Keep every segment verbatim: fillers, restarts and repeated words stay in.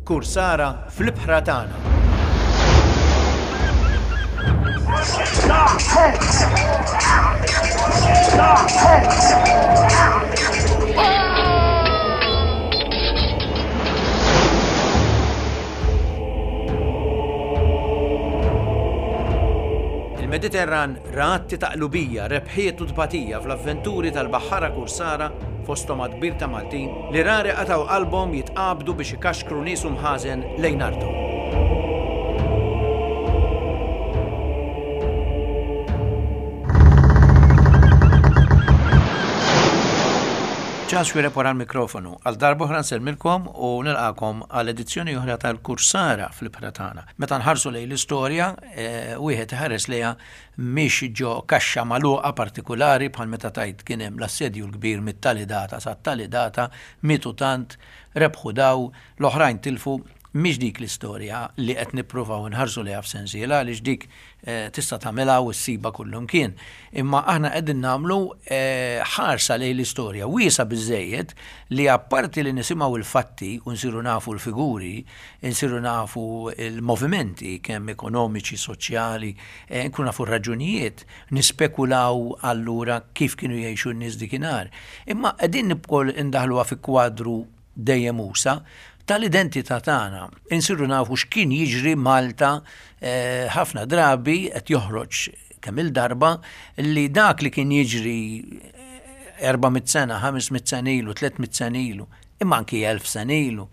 Kursara fl-ibħra tagħna. Il-Mediterran ra atti ta' qlubija, rebħiet u tbatija fl-avventuri tal-baħħara kursara, fosthom għadd kbir ta' Maltin, li rari qatgħu qalbhom jitqabdu biex ikaxkru nies u mħażen lejn arthom. Charles Xuereb wara l-mikrofonu. Għal darb'oħra nsellmilkom u nilqakom għal edizzjoni oħra tal-Kursara fl-ibħra tagħna. Meta nħarsu lejn l-istorja, eh, wieħed iħares lejha mhix ġo kaxxa magħluqa partikulari bħal meta tajt kien hemm l-assedju l-kbir mit-tali data sa tali data, mietu tant, rebħu daw, l-oħrajn tilfu. Mhix dik l-istorja li qed nippruvaw nħarsu lejha f'sensiela, għaliex dik eh, tista' tagħmilha u ssibha kullumkien. Imma aħna qegħdin nagħmlu eh, ħarsa lejn l-istorja wiesa biżejjed li apparti li nisimgħu l-fatti u nsiru nafu l-figuri, nsiru nafu l-movimenti kemm ekonomiċi, soċjali, eh, nkunu nafu r-raġunijiet, nispekulaw allura kif kienu jgħixu n-nies dikinhar. Imma qegħdin ukoll indaħluha fi kwadru dejjem usa tal-identità tagħna. Insiru nafu x'kien jiġri Malta, eh, ħafna drabi qed joħroġ kemm il-darba li dak li kien jiġri erba' mitt sena, ħames mitt sena ilu, tliet mitt sena ilu, imma anki elf sena ilu.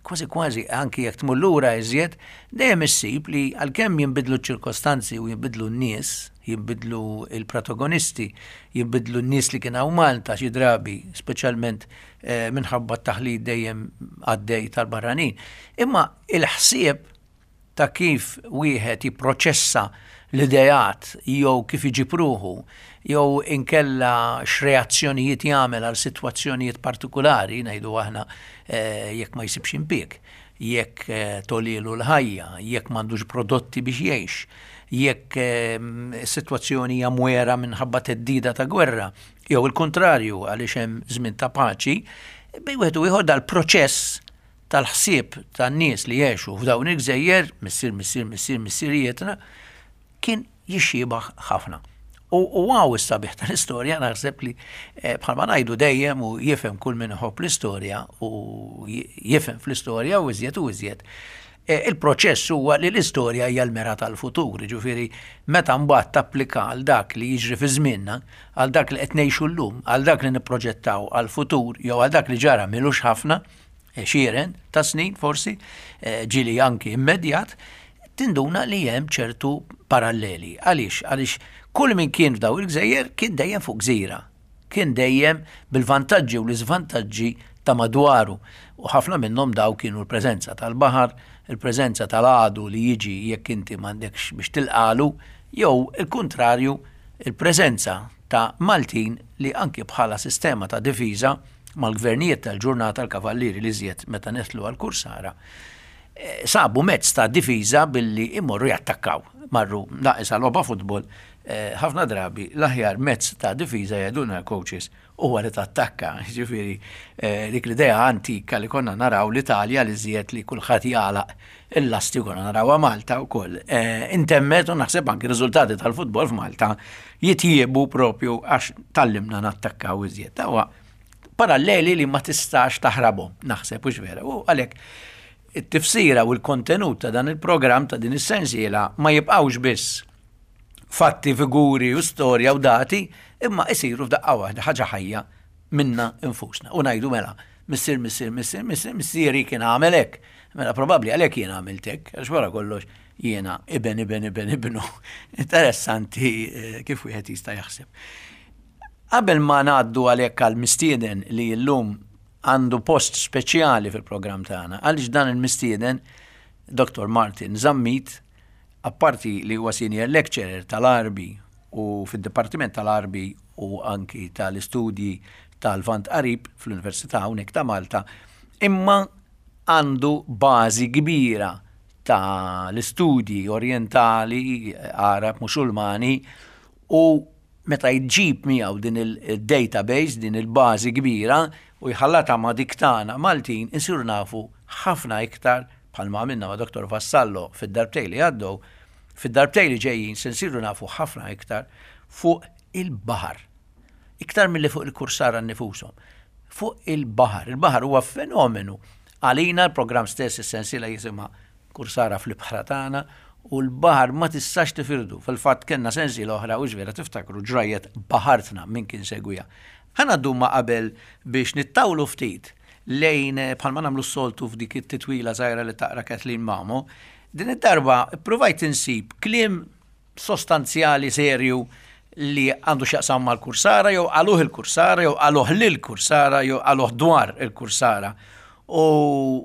Kważi kważi anki jekk tmur lura iżjed, dejjem issib li għalkemm jinbidlu ċ-ċirkostanzi u jinbidlu n-nies, jinbidlu il-protagonisti, jinbidlu n-nies li kien hawn Malta xi drabi, speċjalment, eh, minħabba t-taħlit dejjem għaddej tal-barranin. Imma il-ħsieb ta' kif wieħed jipproċessa l-ideat jew kif iġib ruħu jew inkella x'reazzjonijiet jagħmel għal sitwazzjonijiet partikulari, ngħidu aħna, eh, jekk ma jsibx impjieg, jekk, eh, tolilu l-ħajja, jekk m'għandux prodotti biex jgħix, jekk, eh, is-sitwazzjoni hija mwera minħabba theddida ta' gwerra, jew il-kontrarju għaliex hemm żmien ta' paċi, bejn wieħed u ieħor dal-proċess tal-ħsieb tan-nies li jgħixu f'dawn il-gżejjer, missier, missier, missier, missirijietna, kien jixxiebaħ ħafna. U, u għaw is-sabiħ tal-istorja, naħseb li, eh, bħalma ngħidu dejjem u jifhem kull min iħobb l-istorja u j-, jifhem fl-istorja u iżjed u iżjed. Eh, il-proċess huwa li l-istorja hija l-mera tal-futur, jiġifieri meta mbagħad tapplika għal dak li jiġri fi żmienna, għal dak li qed ngħixu llum, għal dak li nipproġettaw għall-futur jew għal dak li ġara milux ħafna, għexieren ta' snin forsi, eh, ġieli anki immedjat, tinduna li hemm ċertu paralleli. Għaliex? Għaliex kull min kien f'daw il-gżejjer kien dejjem fuq gżira, kien dejjem bil-vantaġġi u l-iżvantaġġi ta' madwaru. U ħafna minnhom daw kienu l-preżenza tal-baħar, il-preżenza tal-għadu li jiġi jekk inti m'għandekx biex tilqalu, jew il-kuntrarju, il-preżenza ta' Maltin li anki bħala sistema ta' difiża mal-gvernijiet tal-ġurnata l-kavallieri li żjed meta nidħlu għall-kursara, eh, sabu mezz ta' difiża billi imorru jattakkaw. Marru naqis għal logħba futbol, eh, ħafna drabi l-aħjar mezz ta' difiża jgħidulna l-coaches huwa li tattakka. Ġifieri, eh, dik l-idea antika li konna naraw l-Italja li żjed li kulħadd jagħlaq il-lasti konna narawha Malta wkoll. Eh, intemmet u naħseb anki riżultati tal-futbol f'Malta jitjiebu propju għax tallimna nattakkaw iżjed. Tawa paralleli li ma tistax taħrabhom, naħseb hux vera. U għalhekk it-tifsira u l-kontenut ta' dan il-programm ta' din is-sensiela ma jibqgħux biss fatti, figuri u storja u dati, imma isiru f'daqqa waħda ħaġa ħajja minna infusna. U ngħidu mela, missier, missier, missier, missier, missieri kien għamel hekk. Mela probabbli għalhekk jiena għamilt hekk, għax wara kollox jiena iben, iben, iben, ibnu. Interessanti, eh, kif wieħed jista' jaħseb. Qabel ma ngħaddu għalhekk għall-mistieden li llum għandu post speċjali fil-programm tagħna, għaliex dan il-mistieden, Doktor Martin Zammit, apparti li huwa senior lecturer tal-Għarbi u fid-Dipartiment tal-Għarbi u anki tal-istudji tal-Lvant Qarib fl-Università hawnhekk ta' Malta, imma għandu bażi kbira tal-istudji orientali, Għarab, Musulmani, u meta jġib miegħu din il-database, din il-bażi kbira, u jħallata ma' dik tagħna Maltin, insiru nafu ħafna iktar bħalma għamilna ma' Dottor Vassallo fid-darbtej li għaddew, fid-darbtej li ġejjin se nsiru nafu ħafna iktar fuq il-baħar. Iktar milli fuq il-kursara nnifushom. Fuq il-baħar. Il-baħar huwa fenomenu. Għalina l-programm stess is-sensiela jisimha Kursara fl-ibħra tagħna u l-baħar ma tistax tifirdu. Fil-fatt kellna sensiela oħra u vera tiftakru ġrajjet baħartna min kien segwija. Ħa ngħaddu ma qabel biex nittawlu ftit lejn bħalma nagħmlu s-soltu f'dik it-titwila żgħira li taqra Kathleen Mamo, din id-darba ppruvajt insib kliem sostanzjali serju li għandu x'jaqsam mal-kursara jew qaluh il-kursara jew qaluh lil-kursara jew qaluh dwar il-kursara. U,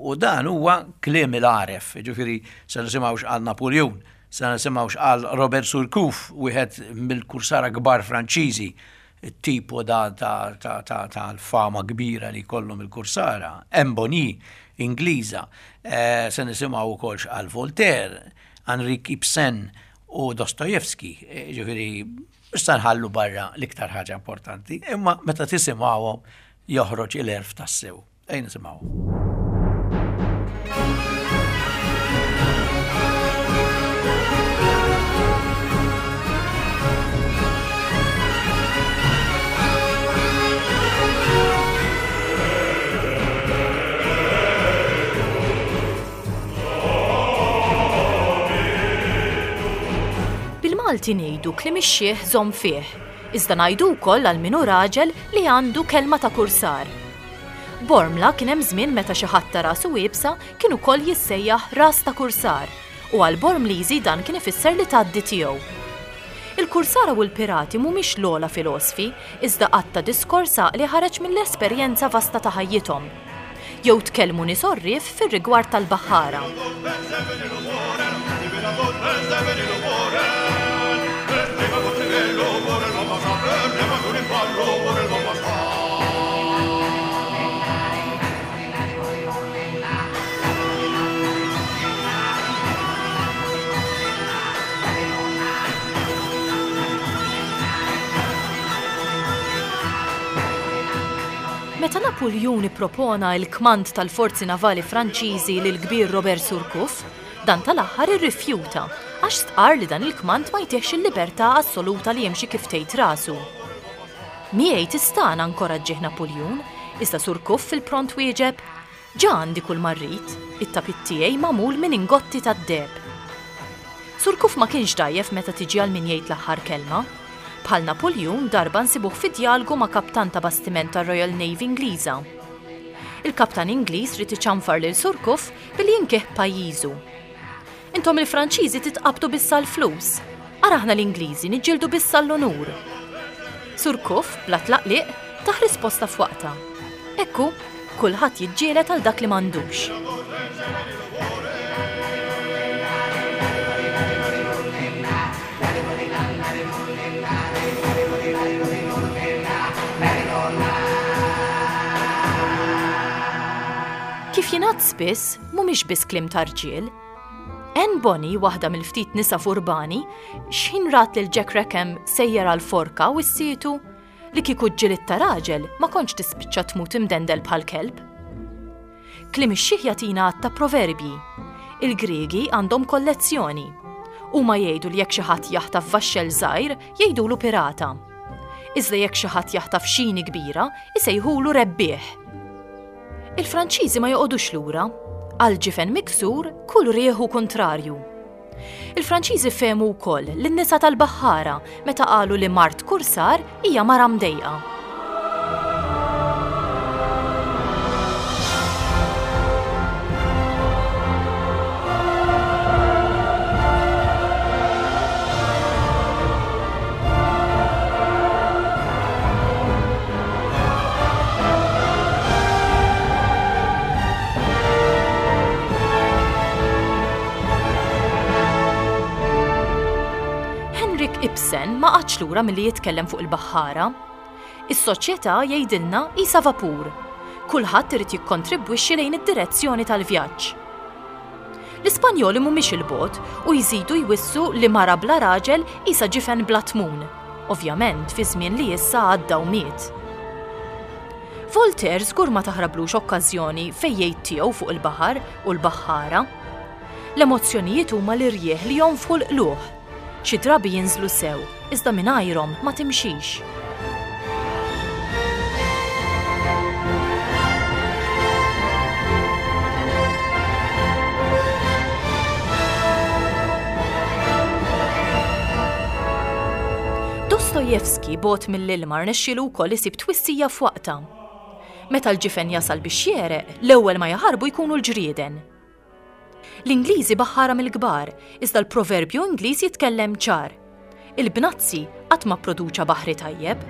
u dan huwa kliem il-għaref, ġifieri se nisimgħu x'qal Napoleon, se nisimgħu x'qal Robert Surcouf, wieħed mill-kursara kbar Franċiżi, tipo da ta' ta' ta' ta' l-fama kbira li kollhom il-kursara, Anne Bonny, Ingliża, eh, se nisimgħu wkoll x'qal Voltaire, Henrik Ibsen u Dostoevsky, eh, ġifieri issa nħallu barra l-iktar ħaġa importanti, imma meta tisimgħuhom joħroġ il-għerf tassew. Ejja nisimgħu. Bil-Malti ngħidu kliem ix-xiħ żomm fih, iżda ngħidu wkoll għal min hu raġel li għandu kelma ta' kursar. Bormla kien hemm żmien meta xi ħadd ta' rasu iebsa kien ukoll jissejjaħ ras ta' kursar u għal Bormliżi dan kien ifisser li tgħaddi tiegħu. Il-kursara u l-pirati mhumiex l-ogħla filosfi, iżda qatt ta' diskors għaqli ħareġ mill-esperjenza vasta ta' ħajjithom. Jew tkellmu nies għorrief fir-rigward tal-baħħara. Meta Napuljun ippropona l-kmand tal-forzi navali Franċiżi lil kbir Robert Surcouf, dan tal-aħħar irrifjuta għax stqar li dan il-kmand ma jtihx il-libertà assoluta li jimxi kif tgħid rasu. Miegħi tistana nkoraġġih Napuljun, iżda Surcouf fil-pront wieġeb, ġa għandi kull ma rrid, it-tapit tiegħi magħmul minn ingotti tad-deheb. Surcouf ma kienx dgħajjef meta tiġi għal min jgħid l-aħħar kelma. Bħal Napuljun darba nsibuh fi djalgu ma' kaptan ta' bastiment tar-Royal Navy Ingliża. Il-kaptan Ingliż ried iċanfar lil Surcouf billi jinkih pajjiżu. Intom il-Franċiżi titqabdu biss għall-flus, ara aħna l-Ingliżi niġġieldu biss għall-onur. Surcouf, bla tlaqliq, tah risposta f'waqtha. Ekku, kulħadd jiġġieled għal dak li m'għandux. Kif jingħad spiss, mhumiex biss kliem ta' rġiel. Anne Bonny, waħda mill-ftit nisa furbani, x'ħin rat lil Jack Rackham sejjer għal forka u ssietu li kieku ġġieled ta' raġel ma kontx tispiċċa tmut imdendel bħal kelb. Kliem ix-xiħ jagħtina għadd ta' proverbji. Il-Griegi għandhom kollezzjoni. Huma jgħidu li jekk xi ħadd jaħtaf vaxxel żgħir, jgħidulu pirata. Iżda jekk xi ħadd jaħtaf xini kbira, isejħulu rebbieħ. Il-Franċiżi ma joqogħdux lura. Għal ġifen miksur, kull rieħu kontrarju. Il-Franċiżi fehmu wkoll lin-nisa tal-baħħara meta qalu li mart kursar hija mara mdejqa. Henrik Ibsen ma qagħadx lura milli jitkellem fuq il-baħħara. Is-soċjetà jgħidilna qisha vapur. Kulħadd irid jikkontribwixxi lejn id-direzzjoni tal-vjaġġ. L-Ispanjoli mhumiex il-bogħod u jżidu jwissu li mara bla raġel qisha ġifen bla tmun. Ovvjament fi żmien li issa għadda u miet. Voltaire żgur ma taħrablux okkażjoni fejn jgħid tiegħu fuq il-baħar u l-baħħara. L-emozzjonijiet huma l-irjieħ li jonfħu l-qluħ. Xi drabi jinżlu sew, iżda mingħajrhom ma timxix. Dostojevski bogħod mill-ilma rnexxielu wkoll isib twissija f'waqtha. Meta l-ġifen jasal biex jegħreq, l-ewwel ma jaħarbu jkunu l-ġrieden. L-Ingliżi baħħara mill-kbar, iżda l-proverbju Ingliż jitkellem ċar. Il-bnazzi qatt ma pproduċa baħri tajjeb.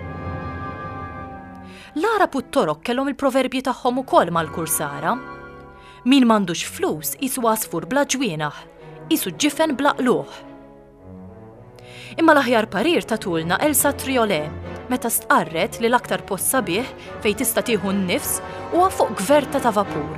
L-Għarab u t-Torok kellhom il-proverbji tagħhom ukoll mal-kursara. Min m'għandux flus qisu għasfur bla ġwienaħ, qisu ġifen bla qluħ. Imma l-aħjar parir tatulna Elsa Triolet meta stqarret li l-aktar post sabiħ fejn tista' tieħu n-nifs huwa fuq gverta ta' vapur.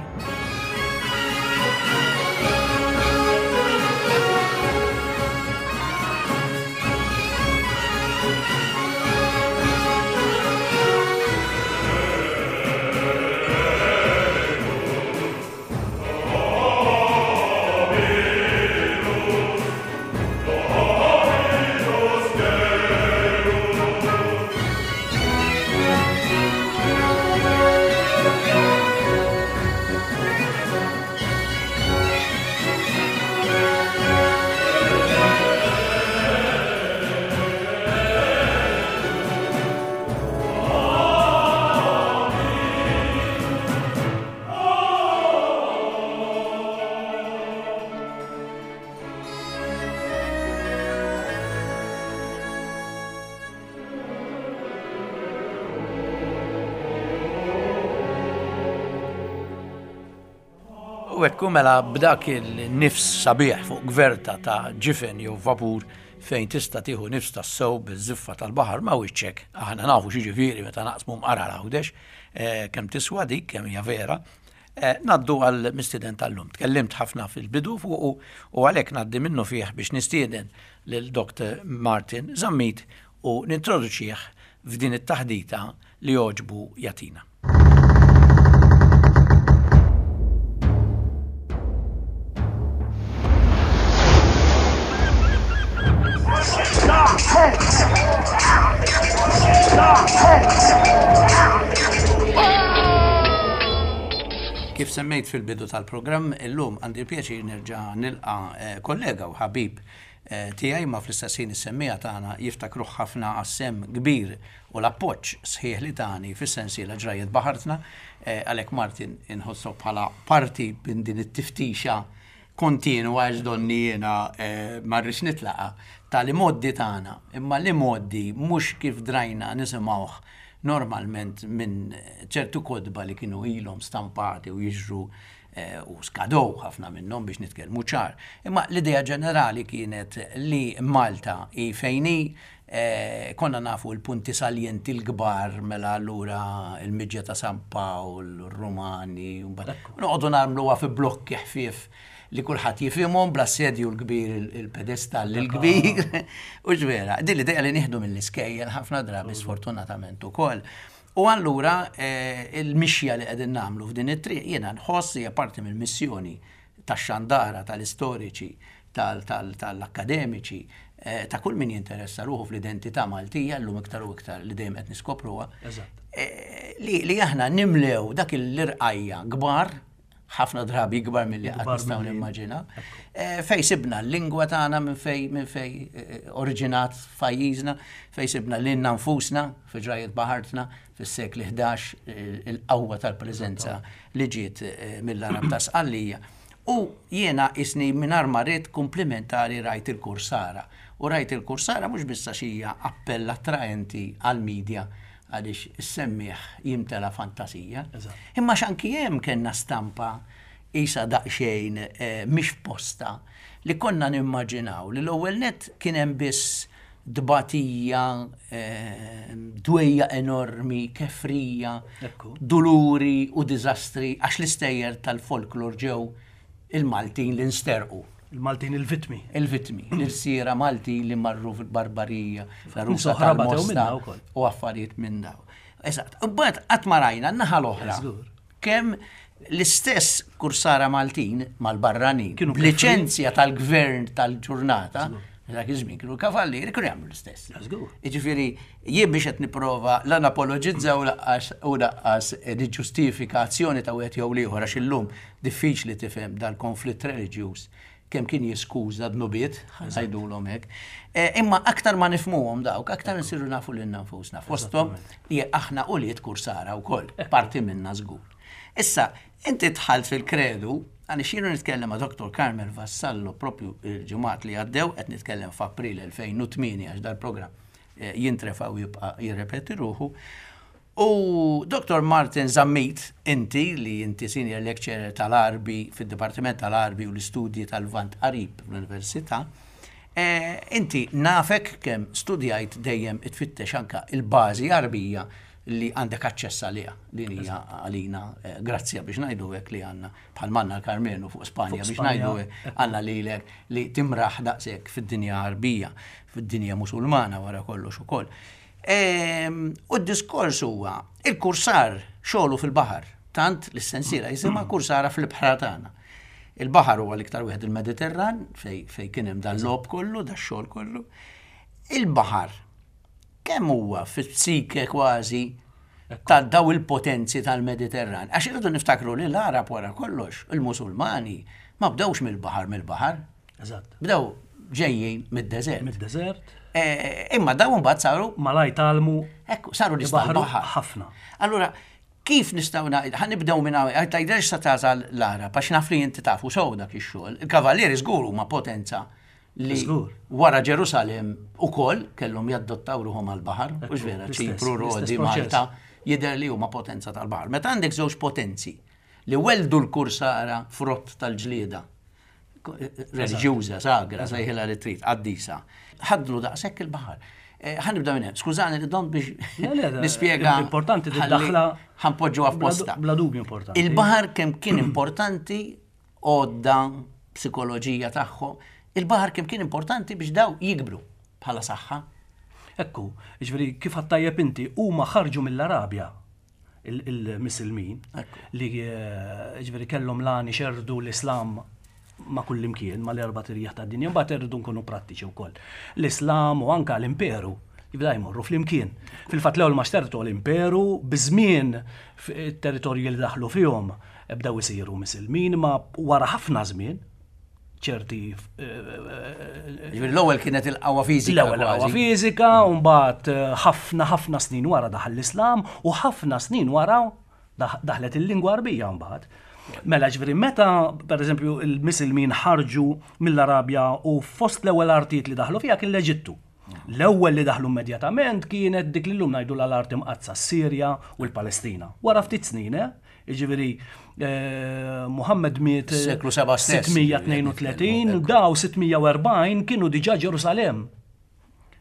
U ekku mela b'dak il-nifs sabiħ fuq gverta ta' ġifen jew vapur fejn tista' tieħu nifs tas-sew biż-żiffa tal-baħar ma' wiċċek. Aħna nafu x'jiġifieri meta naqsmu mqar għal Għawdex, kemm tiswa dik, kemm hija vera. Ngħaddu għal mistieden tal-lum. Tkellimt ħafna fil-bidu fuqu u għalhekk ngħaddi minnu fih biex nistieden lil Doktor Martin Zammit u nintroduċih f'din it-taħdita li jogħġbu jagħtina. Kif semmejt fil-bidu tal-programm, illum għandi l-pjaċir nerġa' nilqa' kollega u ħabib tiegħi ma fl-istess ħin is-semmija tagħna jiftakruh ħafna għas-sem kbir u l-appoġġ sħiħ li tani fis-sensiela Ġrajjiet Baħartna, għalhekk Martin inħossok bħala parti minn din it-tiftixa kontinwa għax donni jiena ma rridx nitlaqa tal-imoddi tagħna, imma l-imoddi mhux kif drajna nisimgħuh normalment minn ċertu kotba li kienu ilhom stampati u jiġru u skadow ħafna minnhom biex nitkellmu ċar. Imma l-idea ġenerali kienet li Malta hi fejn hi, konna nafu l-punti saljenti l-kbar mela allura il-miġja ta' San Pawl, ir-Rumani, u mbagħad noqogħdu nagħmluha fi blokki ħfief li kulħadd jifhimhom bl-assedju l-kbir, il-pedestall il-kbir. U ġvera, din l-idea li nieħdu mill-iskejjel ħafna drabi sfortunatament ukoll. U allura il-mixja li qegħdin nagħmlu f'din it-triq jiena nħoss hija parti mill-missjoni tax-xandara, tal-istoriċi, tal-akkademiċi, ta' kull min jinteressa ruħu fl-identità Maltija llum iktar u iktar li dejjem qed niskopruha. Li aħna nimlew dak l-irqajja kbar, ħafna drabi kbar milli qatt nistgħu nimmaġina, fej sibna l-lingwa tagħna minn fej minn fej oriġinat f'pajjiżna, fej sibna lilna nfusna fi Ġrajjiet Baħartna fis-sekli ħdax il-qawwa tal-preżenza li ġiet mill-Arab ta' Sqallija. U jiena isni mingħajr ma rrid kumplimentari rajt il-kursara. U rajt il-kursara mhux biss għax hija appell attraenti għall-medja għaliex is-semmiegħ jimtela fantasija. Imma x'anki hemm kellna stampa isa daqsxejn mhix f'posta li konna nimmaġinaw li l-ewwel nett kien hemm biss dbatija, dwejja enormi, kefrija, duluri u diżastri għax l-istejjer tal-folklor ġew il-Maltin li nsterqu. Il-Maltin il-vitmi. Il-vitmi, l-irsiera Maltin li marru fil-barbarija, fl-arusa tal-Mosta u affarijiet minn daw. Eżatt. U mbagħad qatt ma rajna n-naħa l-oħra. Żgur. Kemm l-istess kursara Maltin mal-barranin, Kienu b'liċenzja tal-gvern tal-ġurnata, dak iż-żmien kienu kavallieri, kienu jagħmlu l-istess. Żgur. Jiġifieri, jien biex qed nipprova la napologizza u lanqas u lanqas niġġustifika azzjoni ta' wieħed jew l-ieħor għax illum diffiċli tifhem dal-konflitt reliġjuż kemm kien jiskuża dnubiet, ngħidulhom hekk. Eh, Imma aktar ma nifhmuhom dawk, aktar nsiru nafu lilna nfusna. Fosthom li aħna ulied kursara wkoll, parti minna żgur. Issa, inti dħalt fil-kredu, għani xiru nitkellem ma' Dottor Carmel Vassallo propju il-ġimgħat li għaddew, qed nitkellem f'April elfejn u tmienja għax dal-programm eh, jintrefa u jibqa' jirrepeti ruħu. U Dottor Martin Zammit, inti li inti senior lecturer tal-Għarbi fid-Dipartiment tal-Għarbi u l-Istudji tal-Lvant Qarib fl-Università, eh, inti nafek kemm studjajt dejjem itfittex anka il-bażi Għarbija li għandek aċċess għaliha, li hija għalina eh, grazzja biex ngħidu hekk li għandna bħal manna l-Karmenu fuq Spanja Fuq biex Spanja, ngħidu hekk għandna lilek li timraħ daqshekk fid-dinja Għarbija, fid-dinja Musulmana wara kollox ukoll. Ehm, U d-diskors huwa il-kursar xogħlu fil-baħar, tant li s-sensiela jisimha Kursara fl-Ibħra Tagħna. Il-baħar huwa l-iktar wieħed il-Mediterran fej, fej kien hemm dan logħob kollu, da xogħol kollu. Il-baħar kemm huwa fit-psike kważi ta' daw il-potenzi tal-Mediterran? Għax irridu niftakru li l-Arab wara kollox, il-Musulmani, ma bdewx mill-baħar mill-baħar, Eżatt. bdew ġejjin mid-deżert. Mid-deżert, Eh, Imma daw mbagħad saru malaj tgħallmu Ekku, saru nies Ibaħru tal-baħar. ħafna. Allura, kif nistgħu ngħid, ħa nibdew minn hawn, tgħidilx sa tasal l-Arab, għax naf li inti tafu sew dak ix-xogħol. Il-kavallieri żgur huma potenza li Żgur. wara Ġerusalem ukoll kellhom jaddottaw ruħhom għall-baħar, u vera, l-istess, Ċipru, l-istess Rodi, proċess. Malta, jidher li huma potenza tal-baħar. Meta għandek żewġ potenzi li weldu l-kursara frott tal-ġlieda, reliġjuża, sagra, sejħilha li trid, qaddisa. Ħadlu daqshekk il-baħar. Eh, ħa nibda minn hemm. Skużani li dom biex Le, le, nispjega. importanti ħalli tiddaħla ħa npoġġuha f'posta. Bla dubju importanti. Il-baħar kemm kien importanti għodda psikoloġija tagħhom, il-baħar kemm kien importanti biex daw jikbru bħala saħħa. Ekku, ġifieri kif għedt inti, huma ħarġu mill-Arabja il- il-Misilmin Ekku. li eh, ġifieri kellhom lan ixerdu l-Islam ma' kull imkien, ma' l-erba' tirjaħ ta' dinja, mbagħad irridu nkunu prattiċi wkoll. L-Islam u anka l-Imperu jibda jmorru fl-imkien. Fil-fatt l-ewwel ma xtertu l-Imperu, biż-żmien it-territorji li daħlu fihom bdew isiru Misilmin, ma wara ħafna żmien ċerti eh, Ġifieri l-ewwel kienet il-qawwa fiżika. L-ewwel qawwa kważi. fiżika, u mbagħad eh, ħafna ħafna snin wara daħal l-Islam u ħafna snin wara daħ- daħlet il-lingwa Arbija mbagħad. Mela ġifieri meta pereżempju il-Misilmin ħarġu mill-Arabja u fost l-ewwel artijiet li daħlu fiha kien l-Eġittu. L-ewwel li daħlu immedjatament kienet dik li llum ngħidu l-art imqaddsa, Sirja u l-Palestina. Wara ftit snin, eh? Jiġifieri eh, Muhammad miet eh, Seklu seba' stess. sitt mija tnejn u tletin, daw sitt mija u erbgħin kienu diġà Ġerusalem.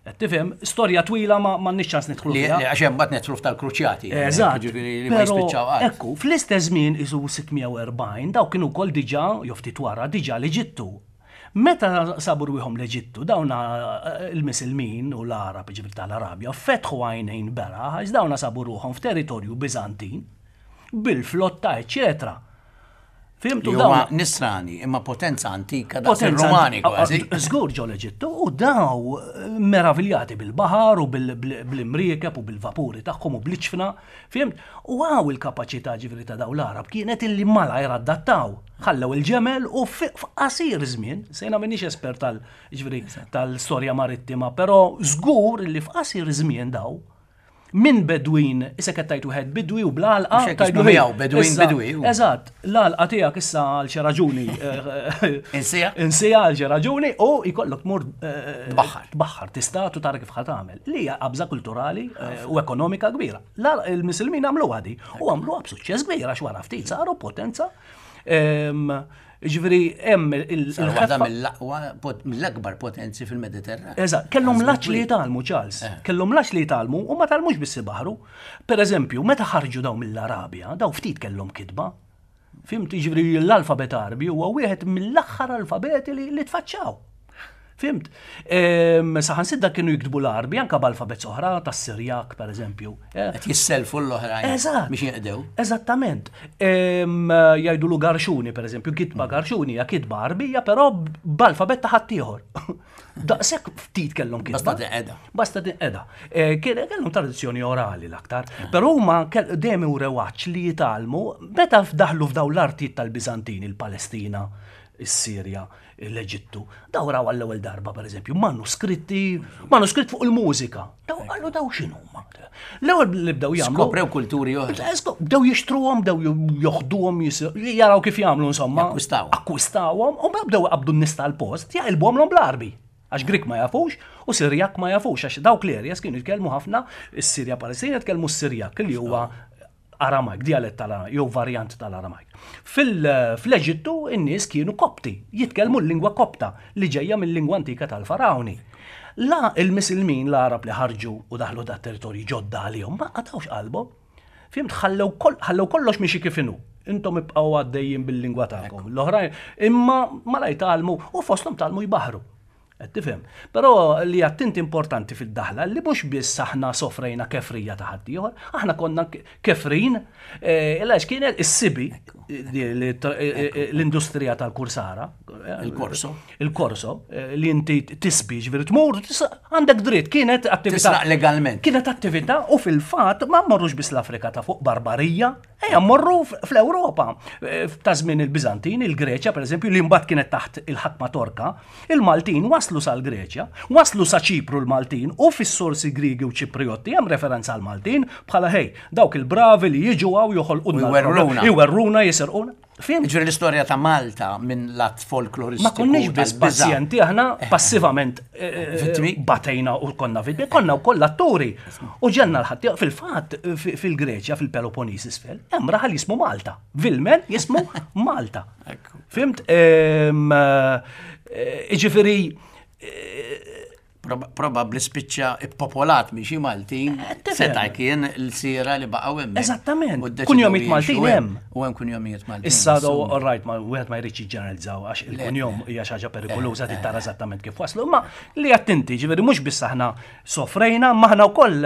Qed tifhem, storja twila ma m'għandniex ċans nidħlu Li fiha. li għax hemm mbagħad nidħlu tal-kruċjati. Eżatt. Ġifieri li ma Però, jispiċċaw qatt. Ekku, fl-istess żmien isu sitt mija u erbgħin daw kienu wkoll diġà jew ftit wara diġà l-Eġittu. Meta sabu rwieħhom l-Eġittu, dawna eh, il-Misilmin u l-Arab, ġifieri tal-Arabja, fetħu għajnejn beraħ, għax dawna sabu ruħhom f'territorju Bizantin, bil-flotta, eccetera. Fhimtu Li huma dawn nisrani, imma potenza antika daqs Potenza ir-Rumani ah, kważi. ah, Żgur ġo l-Eġittu u daw eh, meraviljati bil-baħar u bil- bil- bl-imriekeb u bil-vapuri tagħhom u bl-iġfna, fhimt? U għaw il-kapaċità ġifieri ta' daw l-Arab kienet illi malajr adattaw. Ħallew il-ġemel u fi- f'qasir żmien, sejna minix espert tal ġifieri tal-storja marittima, però żgur illi f'qasir żmien daw minn bedwin, issa qed tajt wieħed bidwi u bl-għalqa. Mhux hekk tajdu ismu ħej, miegħu, bedwin issa, bidwi, u. Eżatt, l-għalqa tiegħek issa għal xi raġuni. eh, Insija? Insija għal xi raġuni u jkollok tmur eh, Tbaħħar. Tbaħħar, tistatu tara kif ħa tagħmel. Li hija qabża kulturali eh, u ekonomika kbira. La- Il-Misilmin għamlu għadi u għamluha b'suċċess kbir għax wara ftit saru potenza. Ehm, Ġifieri hemm il- Saru waħda il-ħeffa. mill-aqwa, pot- mill-akbar potenzi fil-Mediterran. Eżatt, kellhom l-għatx li jitgħallmu, Charles. Kellhom l-għatx li jitgħallmu u ma tgħallmux biss ibaħru. Per eżempju, meta ħarġu daw mill-Arabja, daw ftit kellhom kitba. Fhimt, ġifieri l-alfabet Arbi huwa wieħed mill-aħħar alfabeti li, li tfaċċaw. Fhimt? Saħansitra kienu jiktbu l-Għarbi anka b'alfabet oħra tas-Sirjak, per eżempju. Eh. Qed jisselfu l-oħrajn biex jinqdew. Eżattament. Jgħidulu Garxuni, per eżempju, kitba Garxuni hija kitba Għarbija, però b'alfabet ta' ħaddieħor. Daqshekk ftit kellhom kitba. Basta tinqeda. Basta tinqeda. Eh, kellhom tradizzjoni orali l-aktar. Ah. Però huma dejjem urew għatx li jitgħallmu meta daħlu f'daw l-artijiet tal-Biżantini, il-Palestina, is-Sirja, l-Eġittu. Daw raw għall-ewwel darba, per eżempju, manuskritti, manuskritt fuq il-mużika. Daw qalu daw x'inhuma. L-ewwel li bdew jagħmlu. Skoprew kulturi oħra. Bdew jixtruhom, bdew joħduhom, jaraw kif jagħmlu insomma. Akkwistawhom. Akkwistawhom u bdew qabdu n-nies tal-post jaqilbuhom bl-Għarbi. Għax Grik ma jafux u Sirjak ma jafux, għax dawk l-areas kienu jitkellmu ħafna is-Sirja Palestina jitkellmu s-Sirjak li huwa Aramajk, dialett tal-Aramajk, jew varjant tal-Aramajk. Fl-Eġittu in-nies kienu Kopti, jitkellmu l-lingwa Kopta li ġejja mill-lingwa antika tal-Farawni. La il-Misilmin, l-Arab li ħarġu u daħlu da territorji ġodda għalihom, ma qatgħux qalbhom. Fhimt, ħallew kollox miexi kif inhu. Intom ibqgħu għaddejjin bil-lingwa tagħkom. L-oħrajn, imma malajr tgħallmu u fosthom tgħallmu jbaħru. Qed tifhem. Però li għedt importanti fid-daħla li mhux biss aħna sofrejna kefrija ta' ħaddieħor, aħna konna kefrin, għax kienet is-sibi l-industrija tal-kursara. Il-korso. Il-korso, li inti tisbi, ġifieri tmur, għandek dritt, kienet attività. Tisraq legalment. Kienet attività u fil-fatt ma mmorrux biss l-Afrika ta' fuq Barbarija, ejja mmorru fl-Ewropa. Ta' żmien il-Biżantin, il-Greċja, per eżempju, li mbagħad kienet taħt il-ħakma Torka, il-Maltin waslu sal-Greċja, waslu sa Ċipru l-Maltin u fis-sorsi Grigi u Ċipriotti hemm referenza għal-Maltin bħala ħej, dawk il-bravi li jiġu hawn joħolquna. Iwerruna. Iwerruna, jisirquna. Fhimt? Ġifieri l-istorja ta' Malta minn lat folkloristiku. Ma konniex biss pazjenti, aħna passivament Vittmi. batejna u konna vittmi, konna wkoll atturi. U ġenna l-ħadd fil-fatt fil-Greċja, fil-Peloponnes isfel, hemm raħal jismu Malta. Vilmen jismu Malta. Fhimt? Ġifieri Probabli spiċċa ippopolat minn xi Maltin seta' kien l-sira li baqgħu hemm. Eżattament. Kunjomijiet Maltin hemm. U hemm kunjomijiet Maltin. Issa do all right, ma wieħed ma jridx jiġġeneralizzaw għax il-kunjom hija xi ħaġa perikoluża trid tara eżattament kif waslu, imma li attenti, ġifieri mhux biss aħna sofrejna, ma aħna wkoll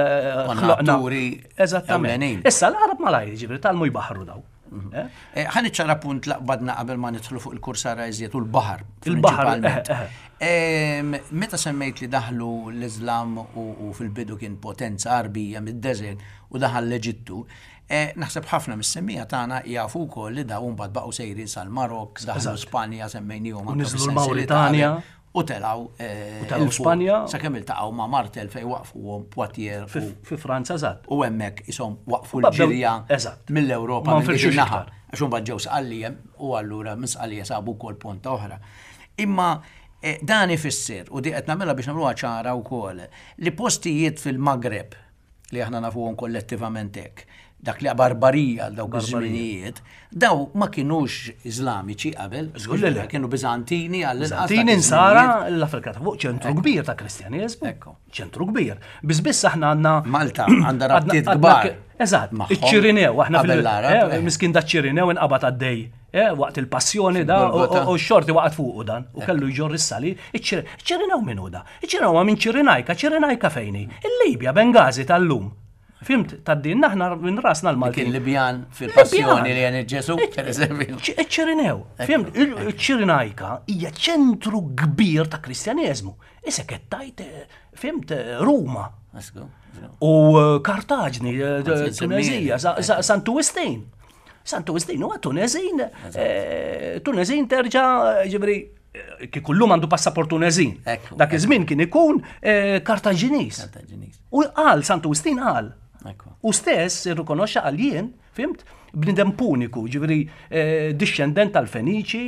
ħloqna. Eżattament. Issa l-Arab malajr, ġifieri tgħallmu jbaħru daw. Ħa niċċara punt laqbadna qabel ma nidħlu fuq il-kursara iżjed u l-baħar. Il-baħar. Meta semmejt li daħlu l-Islam u fil-bidu kien potenza Għarbija mid-desert u daħal l-Eġittu, naħseb ħafna mis-semmiegħa tagħna jafu wkoll li dawn mbagħad baqgħu sejrin sal-Marok, daħlu Spanja semmejnihom U niżlu l-Mauritania. U telgħu U telgħu Spanja. Sakemm iltaqgħu ma' Martel fejn waqfuhom Poitiers. Fi Franza eżatt. U hemmhekk ishom waqfu l-ġirja mill-Ewropa Ma nfirxux naħa. Għax imbagħad ġew Sqallija u allura minn Sqallija sabu wkoll ponta oħra. Imma dan ifisser, u di qed nagħmilha biex nagħmluha ċara wkoll, li postijiet fil-Magreb li aħna nafuhom kollettivament hekk, dak li barbarija għal dawk iż-żminijiet, daw ma kienux Iżlamiċi qabel, kienu Biżantini għall Biżantini nsara l-Afrika ta' fuq ċentru kbir ta' Kristjaneżmu. Ċentru kbir. Biss biss aħna għandna Malta għandha rabtiet kbar. Eżatt, iċ-Ċirinew, aħna fil miskin da ċ-Ċirinew inqabad għaddej. Waqt il-passjoni da u x-xorti waqgħet fuqu dan u kellu jġorr is-salib. Iċ-Ċirinew min hu da? Iċ-Ċirinew ma minn Ċirinajka, Ċirinajka fejni? Il-Libja, Bengazi tal-lum. Fhimt, tad-din aħna minn rasna l-Maltin. Kien Libjan fil-passjoni li għen Ġesu, per eżempju. Iċ-Ċirinew. Fhimt, iċ-Ċirinajka hija ċentru kbir ta' Kristjaneżmu. Issa qed tajt, fhimt, Ruma. U Kartaġni, Tunezija, Santu Wistin. Santu Wistin huwa Tunezin, Tunezin terġa' ġifieri kieku llum għandu passaport Tunezin. Dak iż-żmien kien ikun Kartaġinis. U qal Santu Wistin qal. U stess irrikonoxxa qal jien, fhimt, bniedem puniku, ġifieri dixxendent tal-Feniċi,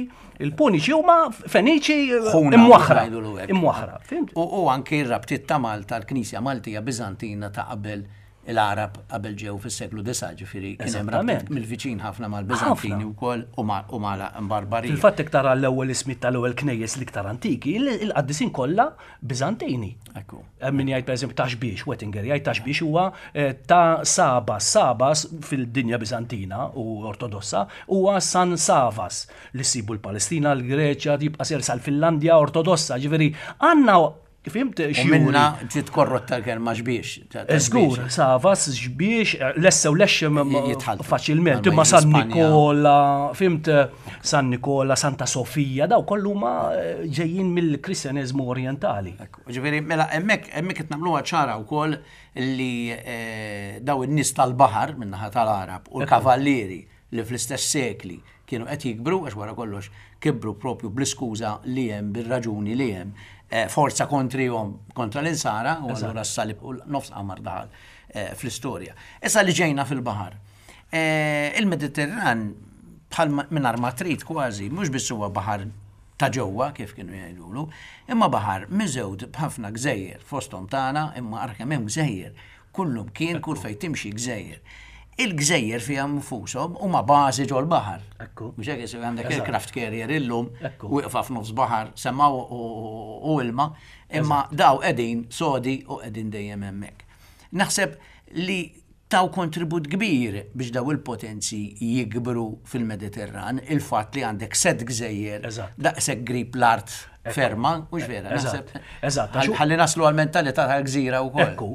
il-Puniċi huma Feniċi imwaħra. Imwaħra, fhimt? U anke r-rabtiet ta' Malta, l-Knisja Maltija Biżantina ta' qabel l-Arab qabel ġew fis-seklu disa', ġifieri kien hemm rabtiet mill-viċin ħafna mal-Biżantini wkoll u mal-Barbarija. Fil-fatt jekk tara l-ewwel ismijiet tal-ewwel knejjes l-iktar antiki, il-qaddisin kollha Biżantini. Ekku. Hemm min jgħid pereżempju Ta' Xbiex, Wettinger jgħid Ta' Xbiex huwa ta' Sabas, Sabas fil-dinja Biżantina u Ortodossa huwa San Savas li ssibu l-Palestina, l-Greċja, jibqa' ser sal-Finlandja Ortodossa, ġifieri għandna Fimt xi minna ġiet korrotta l-kelma xbiex. Żgur, Savas, xbiex, lessew lexxem faċilment, imma San Nikola, fimt San Nikola, Santa Sofija, daw kollu ma ġejjin mill-Kristjaneżmu Orientali. Ġifieri, mela hemmhekk hemmhekk qed nagħmluha ċara wkoll li daw in-nies tal-baħar min-naħa tal-Arab u l-kavallieri li fl-istess sekli kienu qed jikbru, għax wara kollox kibru propju bl-iskuża li hemm, bir-raġuni li hemm forza kontrihom kontra l-insara, u allura s-salib u nofs qamar daħal fl-istorja. Issa li ġejna fil-baħar. Il-Mediterran bħal mingħajr ma trid kważi, mhux biss huwa baħar ta' ġewwa kif kienu jgħidulu, imma baħar miżewd b'ħafna gżejjer fosthom tagħna, imma ara kemm hemm gżejjer, kullum kien kull fejn timxi gżejjer. Il-gżejjer fiha nfushom huma bażi ġol-baħar. Mhux hekk isir għandek aircraft carrier illum wieqfa f'nofs baħar, sema u ilma, imma daw qegħdin sodi u qegħdin dejjem hemmhekk. Naħseb li taw kontribut kbir biex daw il-potenzi jikbru fil-Mediterran, il-fatt li għandek set gżejjer daqshekk grib l-art ferma, mhux vera, naħseb. Eżatt. Ħalli naslu għal-mentalità tal-gżira wkoll. Ekku,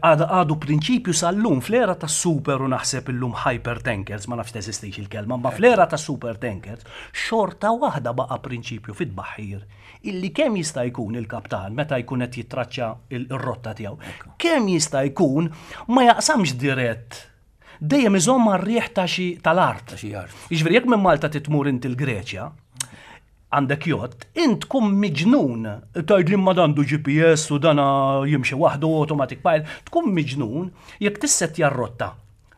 għadu prinċipju sal-lum fl-era tas-super u naħseb illum hyper tankers, ma nafx teżistix il-kelma, ma fl-era tas-super tankers, xorta waħda baqa' prinċipju fit-tbaħħir illi kemm jista' jkun il-kaptan meta jkun qed jittraċċa r-rotta tiegħu, kemm jista' jkun ma jaqsamx dirett. Dejjem iżomm mar-riħ ta' xi tal-art. Jiġifieri jekk minn Malta titmur inti l-Greċja, għandek jott, int tkun miġnun, tgħid li ma dandu G P S u dana jimxi waħdu automatic pilot, tkun miġnun jekk tissettja r-rotta.